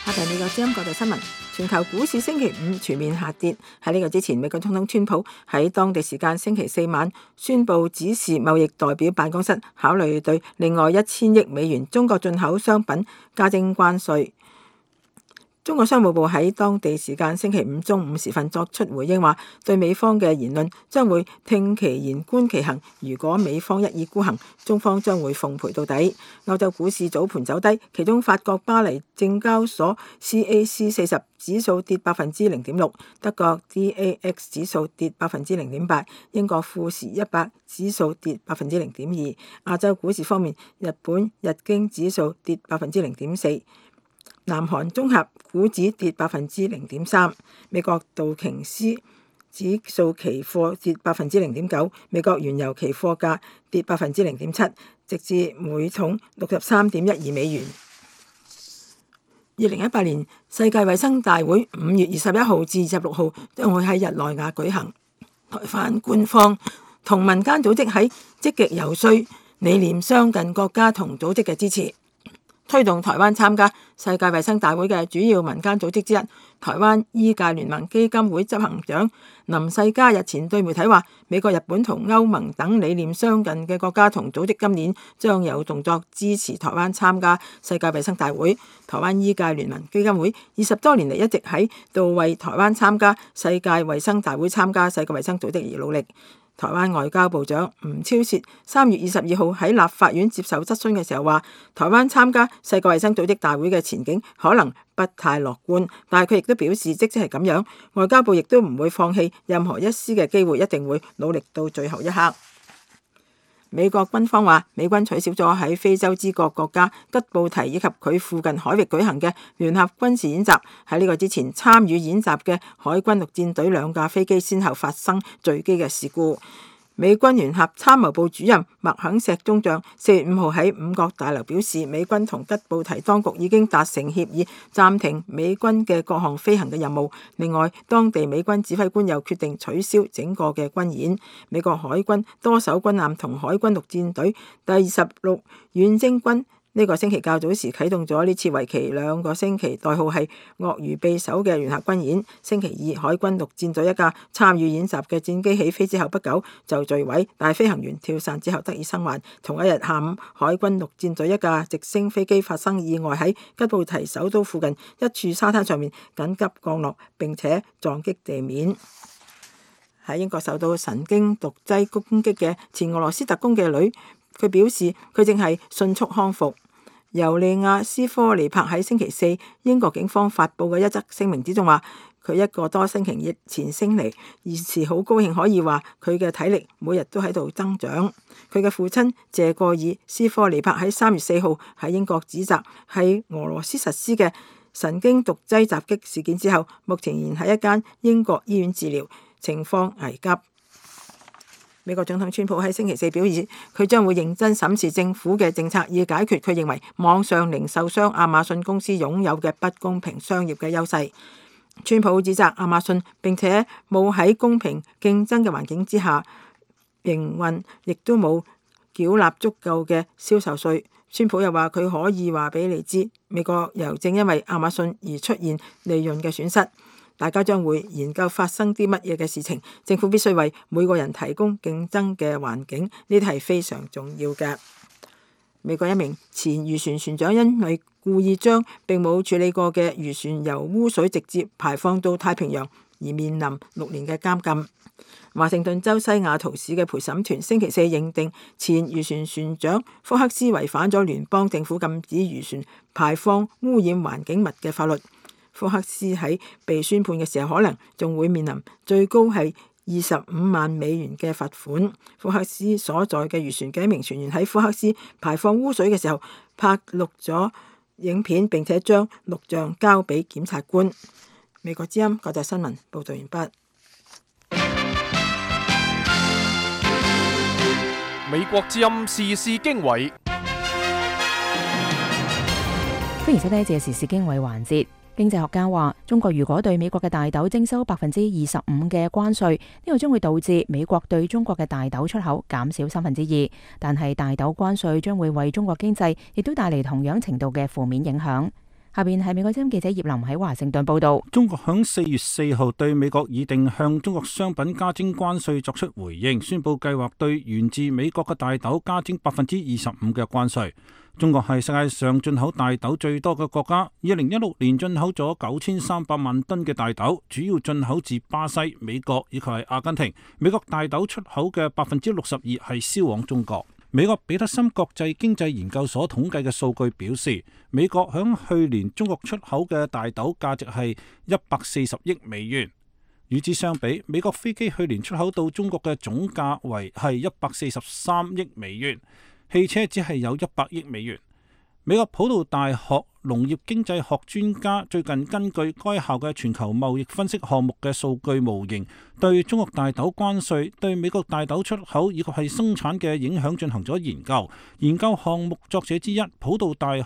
下邊美國之音國際新聞。全球股市星期五全面下跌。喺呢個之前，美國總統川普喺當地時間星期四晚宣布指示貿易代表辦公室考慮對另外一千億美元中國進口商品加徵關稅。中國商務部喺當地時間星期五中午時分作出回應，話對美方嘅言論將會聽其言觀其行，如果美方一意孤行，中方將會奉陪到底。歐洲股市早盤走低，其中法國巴黎證交所 C A C 四十指數跌百分之零點六，德國 D A X 指數跌百分之零點八，英國富時一百指數跌百分之零點二。亞洲股市方面，日本日經指數跌百分之零點四。南韓綜合股指跌百分之零點三，美國道瓊斯指數期貨跌百分之零點九，美國原油期貨價跌百分之零點七，直至每桶六十三點一二美元。二零一八年世界衛生大會五月二十一號至二十六號將會喺日內瓦舉行，台灣官方同民間組織喺積極游說理念相近國家同組織嘅支持。推動台灣參加世界衛生大會嘅主要民間組織之一，台灣醫界聯盟基金會執行長林世嘉日前對媒體話，美國、日本同歐盟等理念相近嘅國家同組織今年將有動作支持台灣參加世界衛生大會。台灣醫界聯盟基金會二十多年嚟一直喺度為台灣參加世界衛生大會、參加世界衛生組織而努力。台灣外交部長吳釗燮三月二十二號喺立法院接受質詢嘅時候話，台灣參加世界衛生組織大會嘅前景可能不太樂觀，但係佢亦都表示，即使係咁樣，外交部亦都唔會放棄任何一絲嘅機會，一定會努力到最後一刻。美國軍方話，美軍取消咗喺非洲之角國家吉布提以及佢附近海域舉行嘅聯合軍事演習。喺呢個之前，參與演習嘅海軍陸戰隊兩架飛機先後發生墜機嘅事故。美軍聯合參謀部主任麥肯錫中將四月五號喺五角大樓表示，美軍同吉布提當局已經達成協議，暫停美軍嘅各項飛行嘅任務。另外，當地美軍指揮官又決定取消整個嘅軍演。美國海軍多艘軍艦同海軍陸戰隊第二十六遠征軍呢個星期較早時啟動咗呢次為期兩個星期，代號係鱷魚臂手嘅聯合軍演。星期二，海軍陸戰隊一架參與演習嘅戰機起飛之後不久就墜毀，但係飛行員跳傘之後得以生還。同一日下午，海軍陸戰隊一架直升飛機發生意外，喺吉布提首都附近一處沙灘上面緊急降落，並且撞擊地面。喺英國受到神經毒劑攻擊嘅前俄羅斯特工嘅女，佢表示佢正係迅速康復。尤利亞斯科尼帕喺星期四英國警方發布嘅一則聲明之中話，佢一個多星期前升嚟，現時好高興可以話佢嘅體力每日都喺度增長。佢嘅父親謝過爾斯科尼帕喺三月四號喺英國指責係俄羅斯實施嘅神經毒劑襲擊事件之後，目前仍喺一間英國醫院治療，情況危急。美國總統川普喺星期四表示，佢將會認真審視政府嘅政策，以解決佢認為網上零售商亞馬遜公司擁有嘅不公平商業嘅優勢。川普指責亞馬遜並且冇喺公平競爭嘅環境之下營運，亦都冇繳納足夠嘅銷售稅。川普又話佢可以話俾你知，美國又正因為亞馬遜而出現利潤嘅損失。大家將會研究發生啲乜嘢嘅事情，政府必須為每個人提供競爭嘅環境，呢啲係非常重要嘅。美國一名前漁船船長因為故意將並冇處理過嘅漁船由污水直接排放到太平洋，而面臨六年嘅監禁。華盛頓州西雅圖市嘅陪審團星期四認定前漁船船長福克斯違反咗聯邦政府禁止漁船排放污染環境物嘅法律。福克斯喺被宣判嘅時候，可能仲會面臨最高係二十五萬美元嘅罰款。福克斯所在嘅漁船嘅一名船員喺福克斯排放污水嘅時候拍錄咗影片，並且將錄像交俾檢察官。美國之音國際新聞報道完畢。美國之音時事經緯，歡迎收聽呢一節時事經緯環節。經濟學家話，中國如果對美國嘅大豆徵收百分之二十五嘅關稅，呢個將會導致美國對中國嘅大豆出口減少三分之二。但係大豆關稅將會為中國經濟亦都帶嚟同樣程度嘅負面影響。下邊係美國之音記者葉林喺華盛頓報道。中國響四月四號對美國擬定向中國商品加徵關稅作出回應，宣布計劃對源自美國嘅大豆加徵百分之二十五嘅關稅。中國係世界上進口大豆最多嘅國家，二零一六年進口咗九千三百萬噸嘅大豆，主要進口自巴西、美國以及係阿根廷。美國大豆出口嘅百分之六十二係銷往中國。美國彼得森國際經濟研究所統計嘅數據表示，美國響去年中國出口嘅大豆價值係一百四十億美元。與之相比，美國飛機去年出口到中國嘅總價為係一百四十三億美元，汽車只係有一百億美元。美國普渡大學農業經濟學專家最近根據該校嘅全球貿易分析項目嘅數據模型，對中國大豆關稅對美國大豆出口以及係生產嘅影響進行咗研究。研究項目作者之一，普渡大學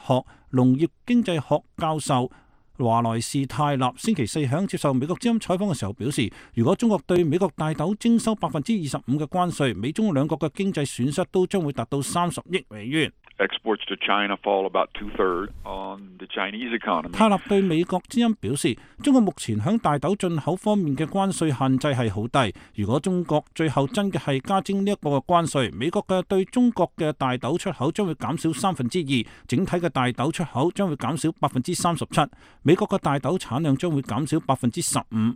農業經濟學教授華萊士泰納星期四響接受美國之音採訪嘅時候表示，如果中國對美國大豆徵收百分之二十五嘅關稅，美中兩國嘅經濟損失都將會達到三十億美元。Exports to China fall about two-thirds on the Chinese economy. 泰納對美國之音表示，中國目前響大豆進口方面嘅關稅限制係好低。如果中國最後真嘅係加徵呢一個嘅關稅，美國嘅對中國嘅大豆出口將會減少三分之二，整體嘅大豆出口將會減少百分之三十七。美國嘅大豆產量將會減少百分之十五。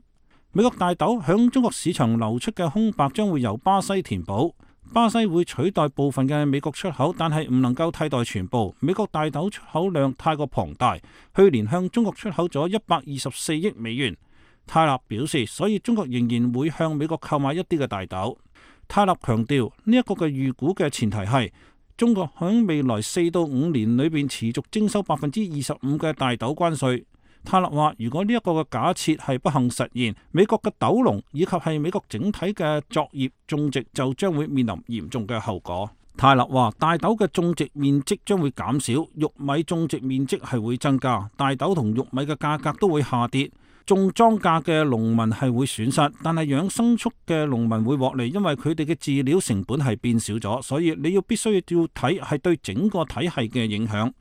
美國大豆響中國市場流出嘅空白將會由巴西填補。巴西會取代部分嘅美國出口，但係唔能夠替代全部。美國大豆出口量太過龐大，去年向中國出口咗一百二十四億美元。泰納表示，所以中國仍然會向美國購買一啲嘅大豆。泰納強調，呢一個嘅預估嘅前提係中國響未來四到五年裏邊持續徵收百分之二十五嘅大豆關稅。泰勒話，如果呢一個嘅假設係不幸實現，美國嘅豆農以及係美國整體嘅作業種植就將會面臨嚴重嘅後果。泰勒話，大豆嘅種植面積將會減少，玉米種植面積係會增加，大豆同玉米嘅價格都會下跌。種莊稼嘅農民係會損失，但係養牲畜嘅農民會獲利，因為佢哋嘅飼料成本係變少咗，所以你要必須要睇係對整個體系嘅影響。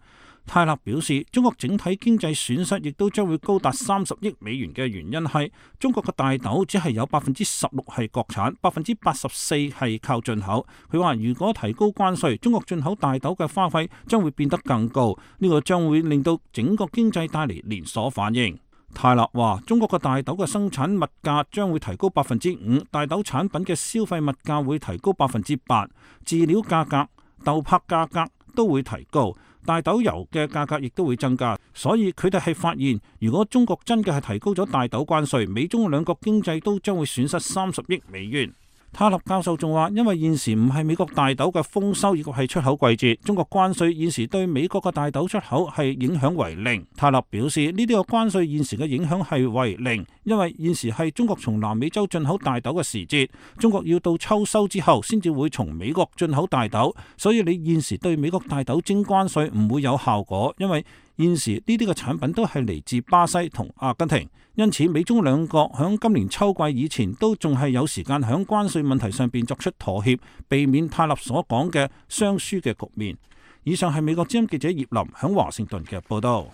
泰勒表示，中國整體經濟損失亦都將會高達三十億美元嘅原因係中國嘅大豆只係有百分之十六係國產，百分之八十四係靠進口。佢話如果提高關稅，中國進口大豆嘅花費將會變得更高，呢個將會令到整個經濟帶嚟連鎖反應。泰勒話，中國嘅大豆嘅生產物價將會提高百分之五，大豆產品嘅消費物價會提高百分之八，飼料價格、豆粕價格都會提高。大豆油嘅價格亦都會增加，所以佢哋係發現，如果中國真嘅係提高咗大豆關稅，美中兩國經濟都將會損失三十億美元。塔勒教授仲話，因為現時唔係美國大豆嘅豐收，亦或係出口季節，中國關稅現時對美國嘅大豆出口係影響為零。塔勒表示，呢啲嘅關稅現時嘅影響係為零，因為現時係中國從南美洲進口大豆嘅時節，中國要到秋收之後先至會從美國進口大豆，所以你現時對美國大豆徵關稅唔會有效果，因為現時呢啲嘅產品都係嚟自巴西同阿根廷，因此美中兩國響今年秋季以前都仲係有時間響關稅問題上邊作出妥協，避免泰勒所講嘅雙輸嘅局面。以上係美國之音記者葉林響華盛頓嘅報道。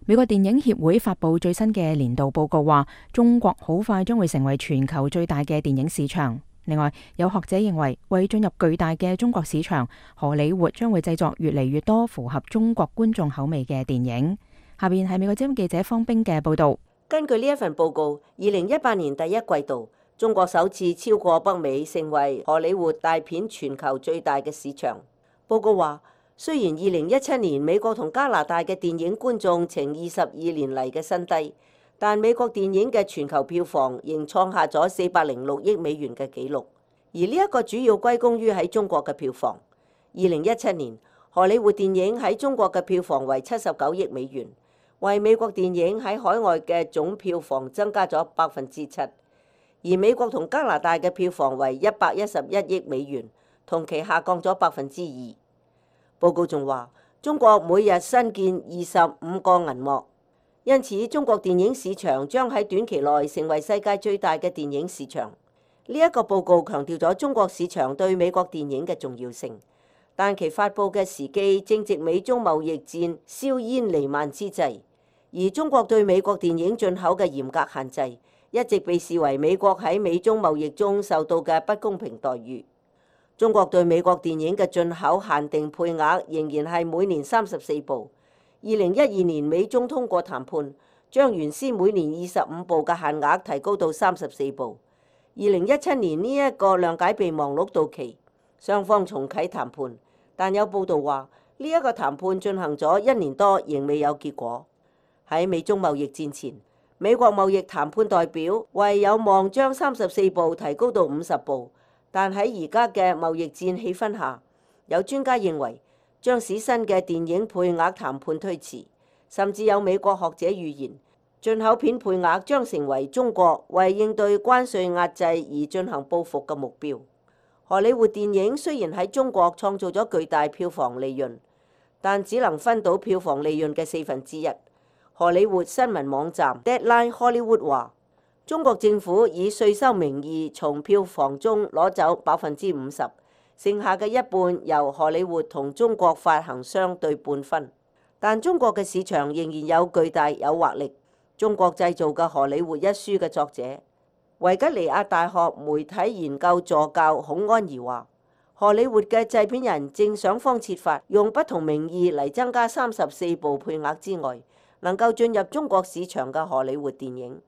美國電影協會發佈最新嘅年度報告話，中國好快將會成為全球最大嘅電影市場。另外，有學者認為，為進入巨大嘅中國市場，荷里活將會製作越嚟越多符合中國觀眾口味嘅電影。下邊係美國之音記者方冰嘅報導。根據呢一份報告，二零一八年第一季度，中國首次超過北美，成為荷里活大片全球最大嘅市場。報告話，雖然二零一七年美國同加拿大嘅電影觀眾呈二十二年嚟嘅新低，但美國電影嘅全球票房仍創下咗四百零六億美元嘅紀錄，而呢一個主要歸功於喺中國嘅票房。二零一七年，荷里活電影喺中國嘅票房為七十九億美元，為美國電影喺海外嘅總票房增加咗百分之七，而美國同加拿大嘅票房為一百一十一億美元，同期下降咗百分之二。報告仲話，中國每日新建二十五個銀幕，因此中國電影市場將喺短期內成為世界最大嘅電影市場。呢一個報告強調咗中國市場對美國電影嘅重要性，但其發布嘅時機正值美中貿易戰硝煙彌漫之際，而中國對美國電影進口嘅嚴格限制，一直被視為美國喺美中貿易中受到嘅不公平待遇。中國對美國電影嘅進口限定配額仍然係每年三十四部。二零一二年美中通過談判，將原先每年二十五部嘅限額提高到三十四部。二零一七年呢一個諒解備忘錄到期，雙方重啟談判，但有報道話呢一個談判進行咗一年多，仍未有結果。喺美中貿易戰前，美國貿易談判代表為有望將三十四部提高到五十部。但喺而家嘅貿易戰氣氛下，有專家認為將使新嘅電影配額談判推遲，甚至有美國學者預言進口片配額將成為中國為應對關稅壓制而進行報復嘅目標。荷里活電影雖然喺中國創造咗巨大票房利潤，但只能分到票房利潤嘅四分之一。荷里活新聞網站 Deadline Hollywood 話，中國政府以稅收名義從票房中攞走百分之五十，剩下嘅一半由荷里活同中國發行商對半分。但中國嘅市場仍然有巨大誘惑力。中國製造嘅荷里活一書嘅作者維吉尼亞大學媒體研究助教孔安儀話，荷里活嘅製片人正想方設法用不同名義嚟增加三十四部配額之外，能夠進入中國市場嘅荷里活電影。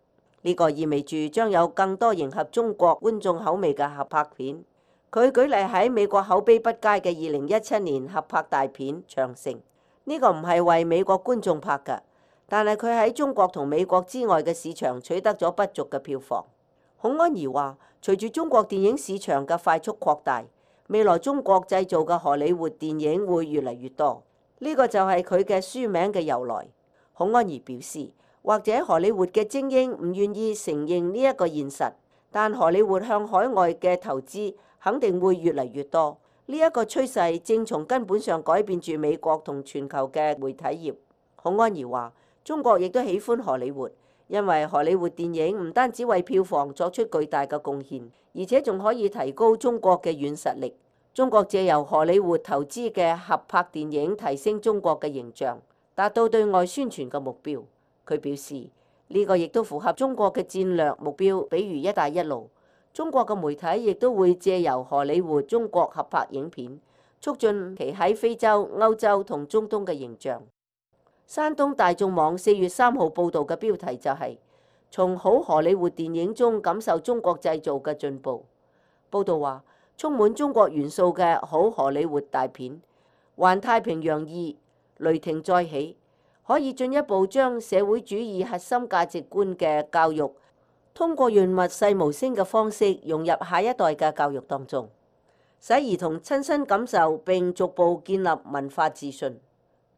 呢個意味住將有更多迎合中國觀眾口味嘅合拍片。佢舉例喺美國口碑不佳嘅二零一七年合拍大片《長城》，呢個唔係為美國觀眾拍㗎，但係佢喺中國同美國之外嘅市場取得咗不俗嘅票房。孔安儀話，隨住中國電影市場嘅快速擴大，未來中國製造嘅荷里活電影會越嚟越多。呢個就係佢嘅書名嘅由來。孔安儀表示，或者荷里活嘅精英唔願意承認呢一個現實，但荷里活向海外嘅投資肯定會越嚟越多。呢一個趨勢正從根本上改變住美國同全球嘅媒體業。孔安儀話，中國亦都喜歡荷里活，因為荷里活電影唔單止為票房作出巨大嘅貢獻，而且仲可以提高中國嘅軟實力。中國借由荷里活投資嘅合拍電影提升中國嘅形象，達到對外宣傳嘅目標。佢表示，呢個亦都符合中國嘅戰略目標，比如一帶一路。中國嘅媒體亦都會借由荷里活中國合拍影片，促進其喺非洲、歐洲同中東嘅形象。山東大眾網四月三號報導嘅標題就係、是、從好荷里活電影中感受中國製造嘅進步。報導話，充滿中國元素嘅好荷里活大片《環太平洋二》《雷霆再起》，可以進一步將社會主義核心價值觀嘅教育，通過潤物細無聲嘅方式融入下一代嘅教育當中，使兒童親身感受並逐步建立文化自信。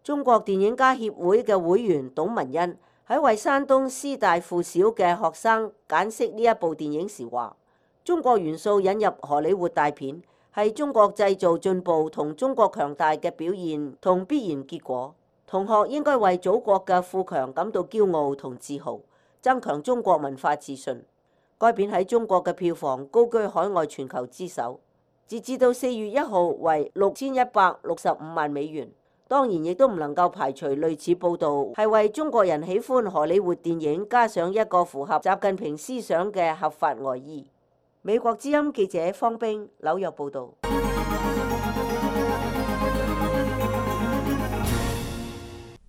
中國電影家協會嘅會員董文欣喺為山東師大附小嘅學生解釋呢一部電影時話，中國元素引入荷里活大片係中國製造進步同中國強大嘅表現同必然結果。同學應該為祖國嘅富強感到驕傲同自豪，增強中國文化自信。該片喺中國嘅票房高居海外全球之首，截至到四月一號為六千一百六十五萬美元。當然亦都唔能夠排除類似報導係為中國人喜歡荷里活電影加上一個符合習近平思想嘅合法外衣。美國之音記者方冰紐約報導。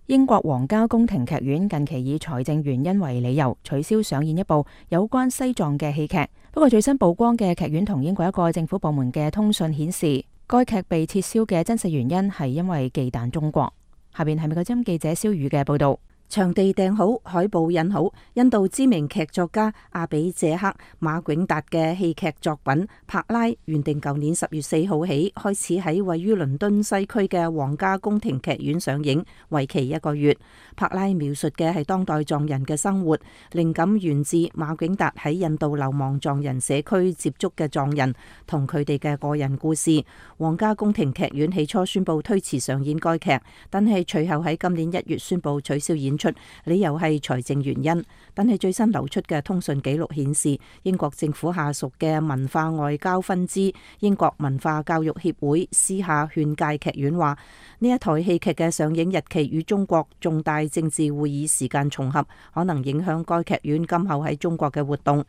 英國皇家宮廷劇院近期以財政原因為理由取消上演一部有關西藏嘅戲劇。不過最新曝光嘅劇院同英國一個政府部門嘅通訊顯示，該劇被撤銷嘅真實原因係因為忌憚中國。下邊係美國之音記者蕭宇嘅報道。場地訂好，海報印好，印度知名劇作家阿比謝克馬景達嘅戲劇作品《柏拉》原定舊年十月四號起開始喺位於倫敦西區嘅皇家宮廷劇院上映，為期一個月。柏拉描述嘅係當代藏人嘅生活，靈感源自馬景達喺印度流亡藏人社區接觸嘅藏人同佢哋嘅個人故事。皇家宮廷劇院起初宣布推遲上演該劇，但係隨後喺今年一月宣布取消演出，理由係財政原因。但係最新流出嘅通訊記錄顯示，英國政府下屬嘅文化外交分支英國文化教育協會私下勸誡劇院話，呢一台戲劇嘅上映日期與中國重大政治會議時間重合，可能影響該劇院今後喺中國嘅活動。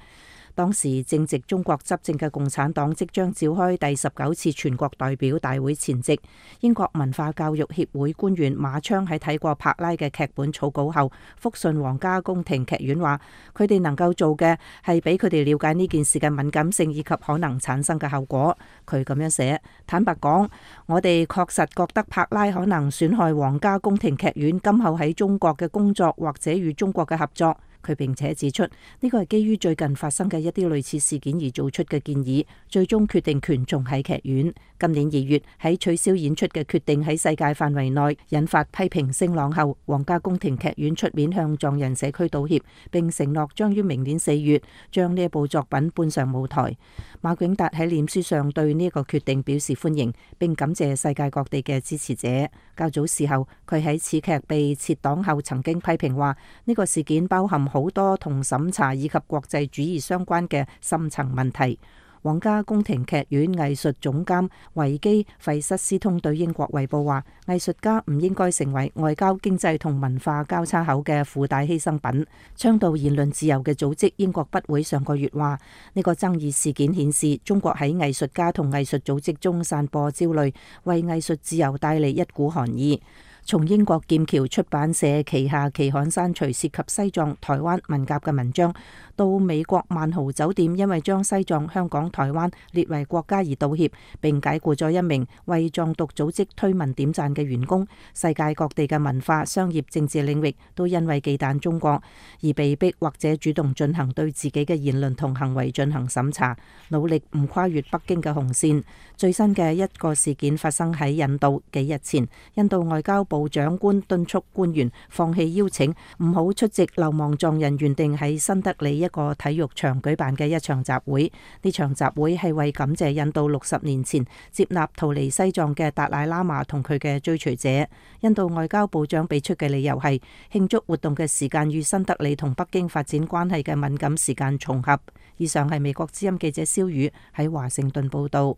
當時正值中國執政嘅共產黨即將召開第十九次全國代表大會前夕，英國文化教育協會官員馬昌喺睇過柏拉嘅劇本草稿後，復信皇家宮廷劇院話，佢哋能夠做嘅係俾佢哋了解呢件事嘅敏感性以及可能產生嘅後果。佢咁樣寫：坦白講，我哋確實覺得柏拉可能損害皇家宮廷劇院今後喺中國嘅工作或者與中國嘅合作。佢並且指出，呢個係基於最近發生嘅一啲類似事件而做出嘅建議，最終決定權重喺劇院。今年二月喺取消演出嘅決定喺世界範圍內引發批評聲浪後，皇家宮廷劇院出面向藏人社區道歉，並承諾將於明年四月將呢一部作品搬上舞台。馬景達喺臉書上對呢個決定表示歡迎，並感謝世界各地嘅支持者。較早時候，佢喺此劇被撤檔後曾經批評話，呢個事件包含好多同審查以及國際主義相關嘅深層問題。皇家宮廷劇院藝術總監維基費瑟斯通對英國衛報話，藝術家唔應該成為外交、經濟同文化交叉口嘅附帶犧牲品。倡導言論自由嘅組織英國筆會上個月話，呢個爭議事件顯示中國喺藝術家同藝術組織中散播焦慮，為藝術自由帶嚟一股寒意。從英國劍橋出版社旗下期刊刪除涉及西藏、台灣文革嘅文章，到美國萬豪酒店因為將西藏、香港、台灣列為國家而道歉，並解雇咗一名為藏獨組織推文點讚嘅員工。世界各地嘅文化、商業、政治領域都因為忌憚中國而被逼或者主動進行對自己嘅言論同行為進行審查，努力唔跨越北京嘅紅線。最新嘅一個事件發生喺印度，幾日前，印度外交部長官敦促官員放棄邀請，唔好出席流亡藏人原定喺新德里一個體育場舉辦嘅一場集會。呢場集會係為感謝印度六十年前接納逃離西藏嘅達賴喇嘛同佢嘅追隨者。印度外交部長俾出嘅理由係慶祝活動嘅時間與新德里同北京發展關係嘅敏感時間重合。以上係美國之音記者蕭宇喺華盛頓報道。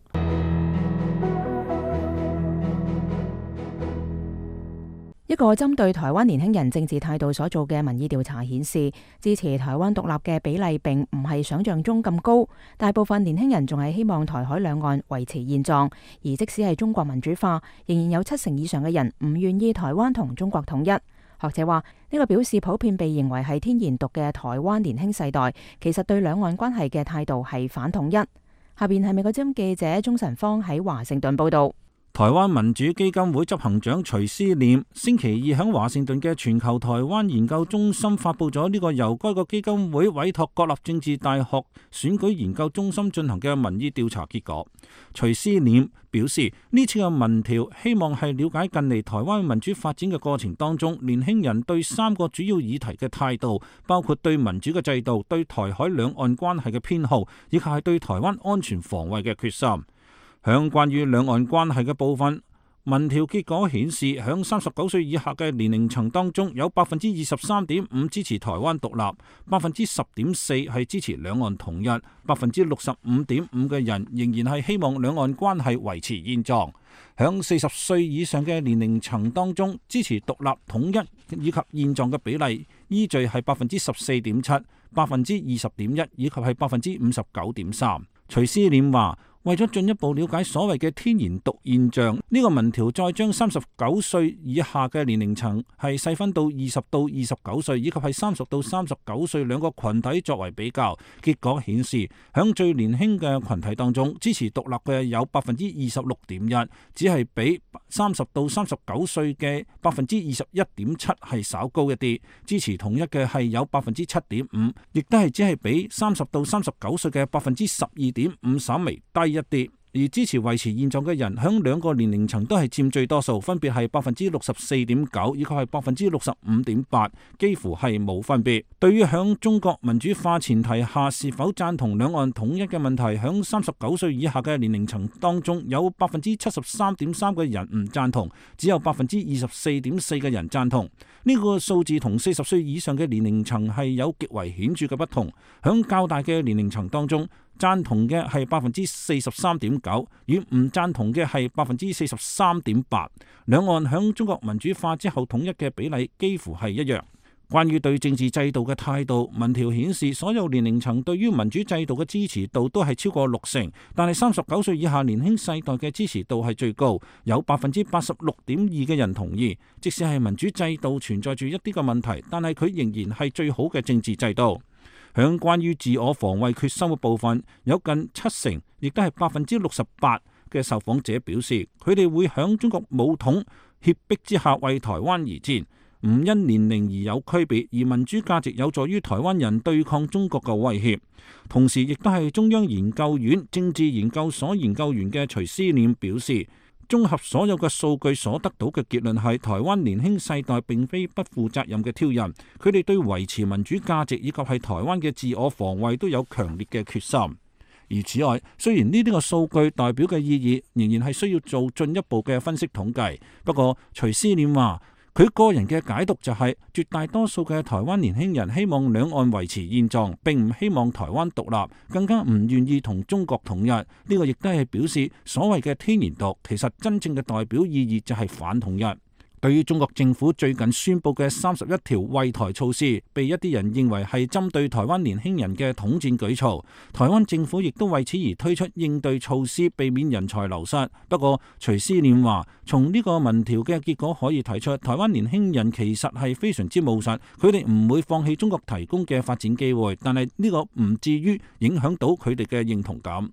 一個針對台灣年輕人政治態度所做嘅民意調查顯示，支持台灣獨立嘅比例並唔係想象中咁高。大部分年輕人仲係希望台海兩岸維持現狀，而即使係中國民主化，仍然有七成以上嘅人唔願意台灣同中國統一。學者話，呢個表示普遍被認為係天然獨嘅台灣年輕世代，其實對兩岸關係嘅態度係反統一。下邊係美國之音記者鍾晨芳喺華盛頓報道。台灣民主基金會執行長徐思念星期二喺華盛頓嘅全球台灣研究中心發佈咗呢個由該個基金會委託國立政治大學選舉研究中心進行嘅民意調查結果。徐思念表示，呢次嘅民調希望係了解近嚟台灣民主發展嘅過程當中，年輕人對三個主要議題嘅態度，包括對民主嘅制度、對台海兩岸關係嘅偏好，以及係對台灣安全防衛嘅決心。響關於兩岸關係嘅部分，民調結果顯示，響三十九歲以下嘅年齡層當中，有百分之二十三點五支持台灣獨立，百分之十點四係支持兩岸統一，百分之六十五點五嘅人仍然係希望兩岸關係維持現狀。響四十歲以上嘅年齡層當中，支持獨立統一以及現狀嘅比例依序係百分之十四點七、百分之二十點一以及係百分之五十九點三。徐思念話，為咗進一步了解所謂嘅天然毒現象，呢、這個民調再將三十九歲以下嘅年齡層係細分到二十到二十九歲，以及係三十到三十九歲兩個群體作為比較。結果顯示，響最年輕嘅群體當中，支持獨立嘅有百分之二十六點一，只係比三十到三十九歲嘅百分之二十一點七係稍高一啲。支持統一嘅係有百分之七點五，亦都係只係比三十到三十九歲嘅百分之十二點五稍微低一啲。而支持維持現狀嘅人，響兩個年齡層都係佔最多數，分別係百分之六十四點九，以及係百分之六十五點八，幾乎係冇分別。對於響中國民主化前提下是否贊同兩岸統一嘅問題，響三十九歲以下嘅年齡層當中，有百分之七十三點三嘅人唔贊同，只有百分之二十四點四嘅人贊同。呢、這個數字同四十歲以上嘅年齡層係有極為顯著嘅不同。響較大嘅年齡層當中，贊同嘅係百分之四十三點九，與唔贊同嘅係百分之四十三點八。兩岸響中國民主化之後統一嘅比例幾乎係一樣。關於對政治制度嘅態度，民調顯示所有年齡層對於民主制度嘅支持度都係超過六成，但係三十九歲以下年輕世代嘅支持度係最高，有百分之八十六點二嘅人同意，即使係民主制度存在住一啲嘅問題，但係佢仍然係最好嘅政治制度。響關於自我防衛決心嘅部分，有近七成，亦都係百分之六十八嘅受訪者表示，佢哋會響中國武統脅迫之下為台灣而戰，唔因年齡而有區別，而民主價值有助於台灣人對抗中國嘅威脅。同時，亦都係中央研究院政治研究所研究員嘅徐思念表示，綜合所有嘅數據所得到嘅結論係，台灣年輕世代並非不負責任嘅挑釁，佢哋對維持民主價值以及係台灣嘅自我防衛都有強烈嘅決心。而此外，雖然呢啲個數據代表嘅意義仍然係需要做進一步嘅分析統計，不過徐思念話，佢個人嘅解讀就係，絕大多數嘅台灣年輕人希望兩岸維持現狀，並唔希望台灣獨立，更加唔願意同中國統一。呢個亦都係表示所謂嘅天然獨，其實真正嘅代表意義就係反統一。對於中國政府最近宣布嘅三十一條惠台措施，被一啲人認為係針對台灣年輕人嘅統戰舉措，台灣政府亦都為此而推出應對措施，避免人才流失。不過徐思念話，從呢個民調嘅結果可以睇出，台灣年輕人其實係非常之務實，佢哋唔會放棄中國提供嘅發展機會，但係呢個唔至於影響到佢哋嘅認同感。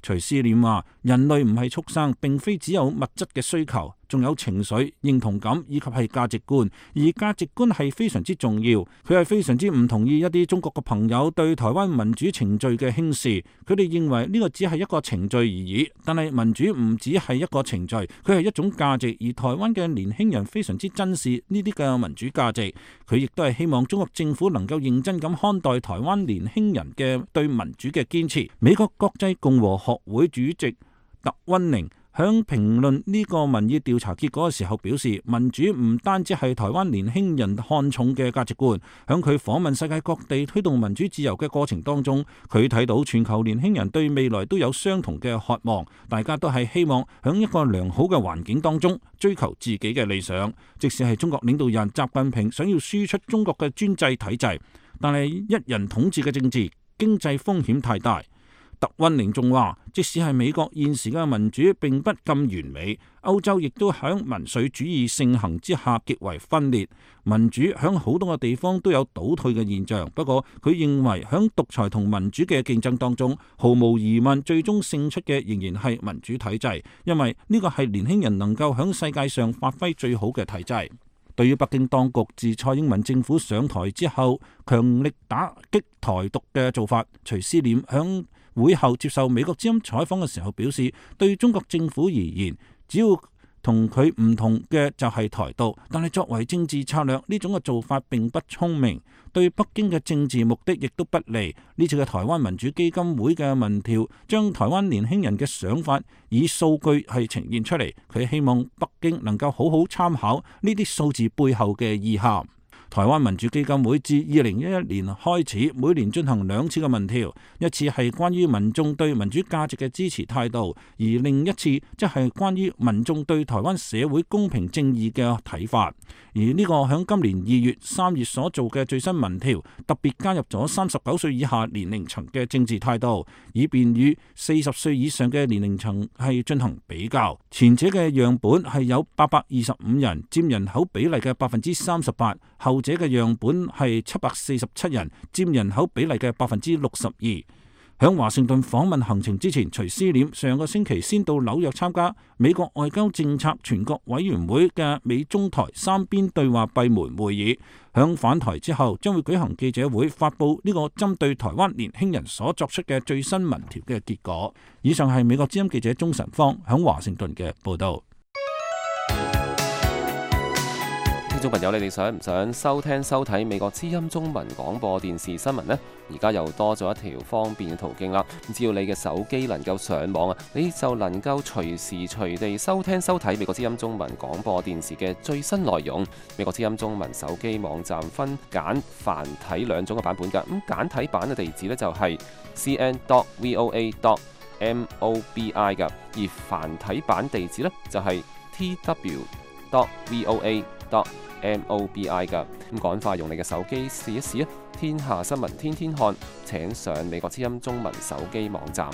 徐思念話，人類唔係畜生，並非只有物質嘅需求，仲有情緒、認同感以及係價值觀，而價值觀係非常之重要。佢係非常之唔同意一啲中國嘅朋友對台灣民主程序嘅輕視，佢哋認為呢個只係一個程序而已。但係民主唔只係一個程序，佢係一種價值，而台灣嘅年輕人非常之珍視呢啲嘅民主價值。佢亦都係希望中國政府能夠認真咁看待台灣年輕人嘅對民主嘅堅持。美國國際共和學會主席特溫寧響評論呢個民意調查結果嘅時候表示，民主唔單止係台灣年輕人看重嘅價值觀。響佢訪問世界各地推動民主自由嘅過程當中，佢睇到全球年輕人對未來都有相同嘅渴望，大家都係希望響一個良好嘅環境當中追求自己嘅理想。即使係中國領導人習近平想要輸出中國嘅專制體制，但係一人統治嘅政治經濟風險太大。特溫寧仲話，即使係美國現時嘅民主並不咁完美，歐洲亦都喺民粹主義盛行之下極為分裂，民主喺好多個地方都有倒退嘅現象。不過佢認為喺獨裁同民主嘅競爭當中，毫無疑問最終勝出嘅仍然係民主體制，因為呢個係年輕人能夠喺世界上發揮最好嘅體制。對於北京當局自蔡英文政府上台之後強力打擊台獨嘅做法，徐思念響會後接受美國之音採訪嘅時候表示，對中國政府而言，只要同佢唔同嘅就係台獨，但係作為政治策略呢種嘅做法並不聰明，對北京嘅政治目的亦都不利。呢次嘅台灣民主基金會嘅民調將台灣年輕人嘅想法以數據係呈現出嚟，佢希望北京能夠好好參考呢啲數字背後嘅意涵。台灣民主基金會自二零一一年開始，每年進行兩次嘅民調，一次係關於民眾對民主價值嘅支持態度，而另一次即係關於民眾對台灣社會公平正義嘅睇法。而呢個響今年二月、三月所做嘅最新民調，特別加入咗三十九歲以下年齡層嘅政治態度，以便與四十歲以上嘅年齡層係進行比較。前者嘅樣本係有八百二十五人，佔人口比例嘅百分之三十八；後者嘅樣本係七百四十七人，佔人口比例嘅百分之六十二。響華盛頓訪問行程之前，徐思廉上個星期先到紐約參加美國外交政策全國委員會嘅美中台三邊對話閉門會議。響返台之後，將會舉行記者會，發布呢個針對台灣年輕人所作出嘅最新民調嘅結果。以上係美國之音記者鍾晨芳響華盛頓嘅報道。聽眾朋友，你哋想唔想收聽收睇美國之音中文廣播電視新聞呢？而家又多咗一條方便嘅途徑啦！只要你嘅手機能夠上網啊，你就能夠隨時隨地收聽收睇美國之音中文廣播電視嘅最新內容。美國之音中文手機網站分簡繁體兩種嘅版本㗎。咁簡體版嘅地址呢，就係 c n dot v o a dot m o b i 㗎，而繁體版地址呢，就係 t w dot v o a dot m o b i 㗎。咁趕快用你嘅手機試一試啊！天下新聞天天看，請上美國之音中文手機網站。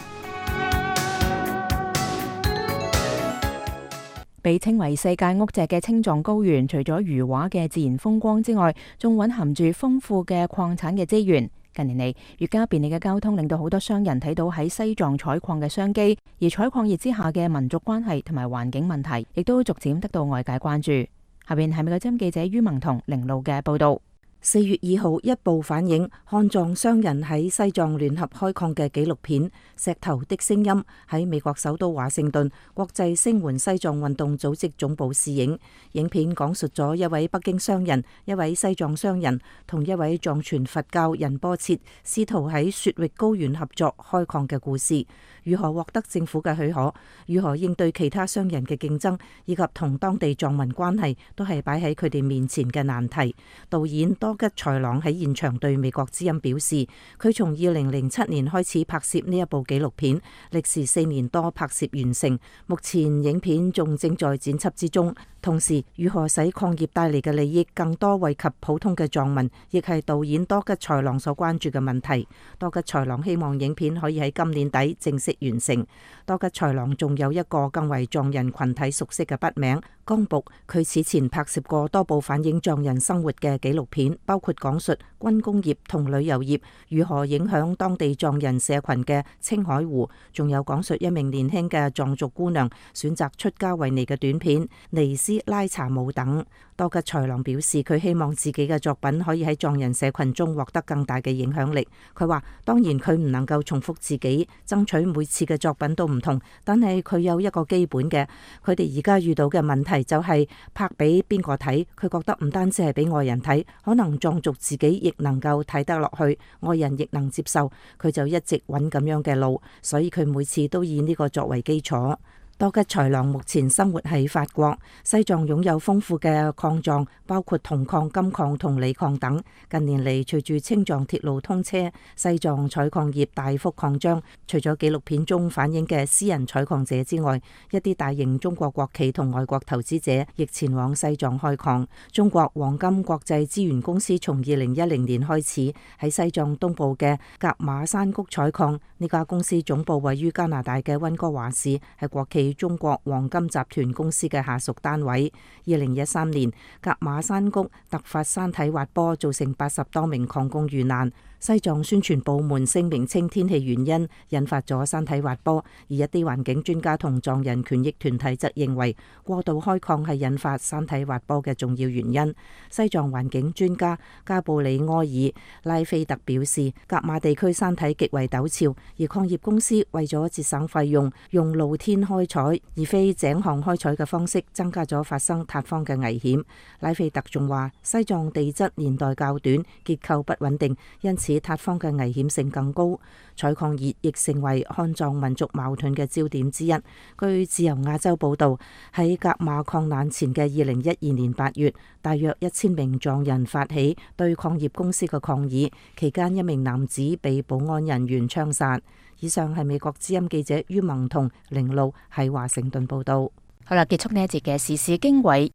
被稱為世界屋脊嘅青藏高原，除咗如畫嘅自然風光之外，仲蘊含住豐富嘅礦產嘅資源。近年嚟，越加便利嘅交通令到好多商人睇到喺西藏採礦嘅商機，而採礦業之下嘅民族關係同埋環境問題，亦都逐漸得到外界關注。下邊係美國之音記者于萌彤、凌路嘅報道。四月二號，一部反映漢藏商人喺西藏聯合開礦嘅紀錄片《石頭的聲音》喺美國首都華盛頓國際聲援西藏運動組織總部試映。影片講述咗一位北京商人、一位西藏商人同一位藏傳佛教仁波切試圖喺雪域高原合作開礦嘅故事。如何獲得政府嘅許可，如何應對其他商人嘅競爭，以及同當地藏民關係，都係擺喺佢哋面前嘅難題。導演多吉才朗喺現場對美國之音表示，佢從二零零七年開始拍攝呢一部紀錄片，歷時四年多拍攝完成，目前影片仲正在剪輯之中。同時，如何使礦業帶嚟嘅利益更多惠及普通嘅藏民，亦係導演多吉才朗所關注嘅問題。多吉才朗希望影片可以喺今年底正式完成。多吉才朗仲有一個更為藏人群體熟悉嘅筆名江僕，佢此前拍攝過多部反映藏人生活嘅紀錄片，包括講述軍工業同旅遊業如何影響當地藏人社群嘅青海湖，仲有講述一名年輕嘅藏族姑娘選擇出家為尼嘅短片尼斯拉查姆等。多吉才朗表示，佢希望自己嘅作品可以喺藏人社群中獲得更大嘅影響力。佢話當然佢唔能夠重複自己，爭取每次嘅作品都唔同，但係佢有一個基本嘅。佢哋而家遇到嘅問題就係拍俾邊個睇，佢覺得唔單止係俾外人睇，可能藏族自己亦能夠睇得落去，外人亦能接受。佢就一直揾咁樣嘅路，所以佢每次都以呢個作為基礎。多吉才朗目前生活喺法國。西藏擁有豐富嘅礦藏，包括銅礦、金礦同鋰礦等。近年嚟，隨住青藏鐵路通車，西藏採礦業大幅擴張。除咗紀錄片中反映嘅私人採礦者之外，一啲大型中國國企同外國投資者亦前往西藏開礦。中國黃金國際資源公司從二零一零年開始喺西藏東部嘅格馬山谷採礦。呢家公司總部位於加拿大嘅溫哥華市，係國企中國黃金集團公司嘅下屬單位。二零一三年，格馬山谷突發山體滑坡，造成八十多名礦工遇難。西藏宣傳部門聲明稱天氣原因引發咗山體滑坡，而一啲環境專家同藏人權益團體則認為過度開礦係引發山體滑坡嘅重要原因。西藏環境專家加布里埃爾拉菲特表示，格馬地區山體極為陡峭，而礦業公司為咗節省費用，用露天開採而非井項開採嘅方式，增加咗發生塌方嘅危險。拉菲特仲話，西藏地質年代較短，結構不穩定，因此比塌方嘅危險性更高。採礦熱亦成為漢藏民族矛盾嘅焦點之一。據自由亞洲報導，喺甲馬礦難前嘅二零一二年八月，大約一千名藏人發起對礦業公司嘅抗議，期間一名男子被保安人員槍殺。以上係美國之音記者于萌同凌路喺華盛頓報導。好啦，結束呢一節嘅時事經緯。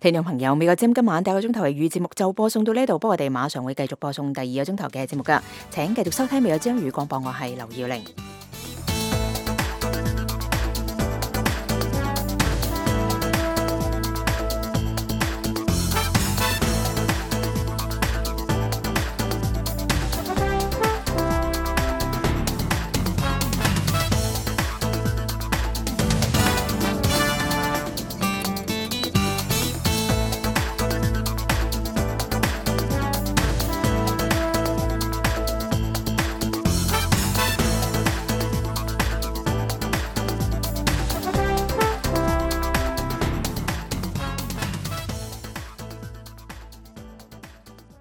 聽眾朋友，美國之音今晚第一個鐘頭嘅粵語節目就播送到呢度，不過我哋馬上會繼續播送第二個鐘頭嘅節目噶，請繼續收聽美國之音粵語廣播，我係劉耀玲。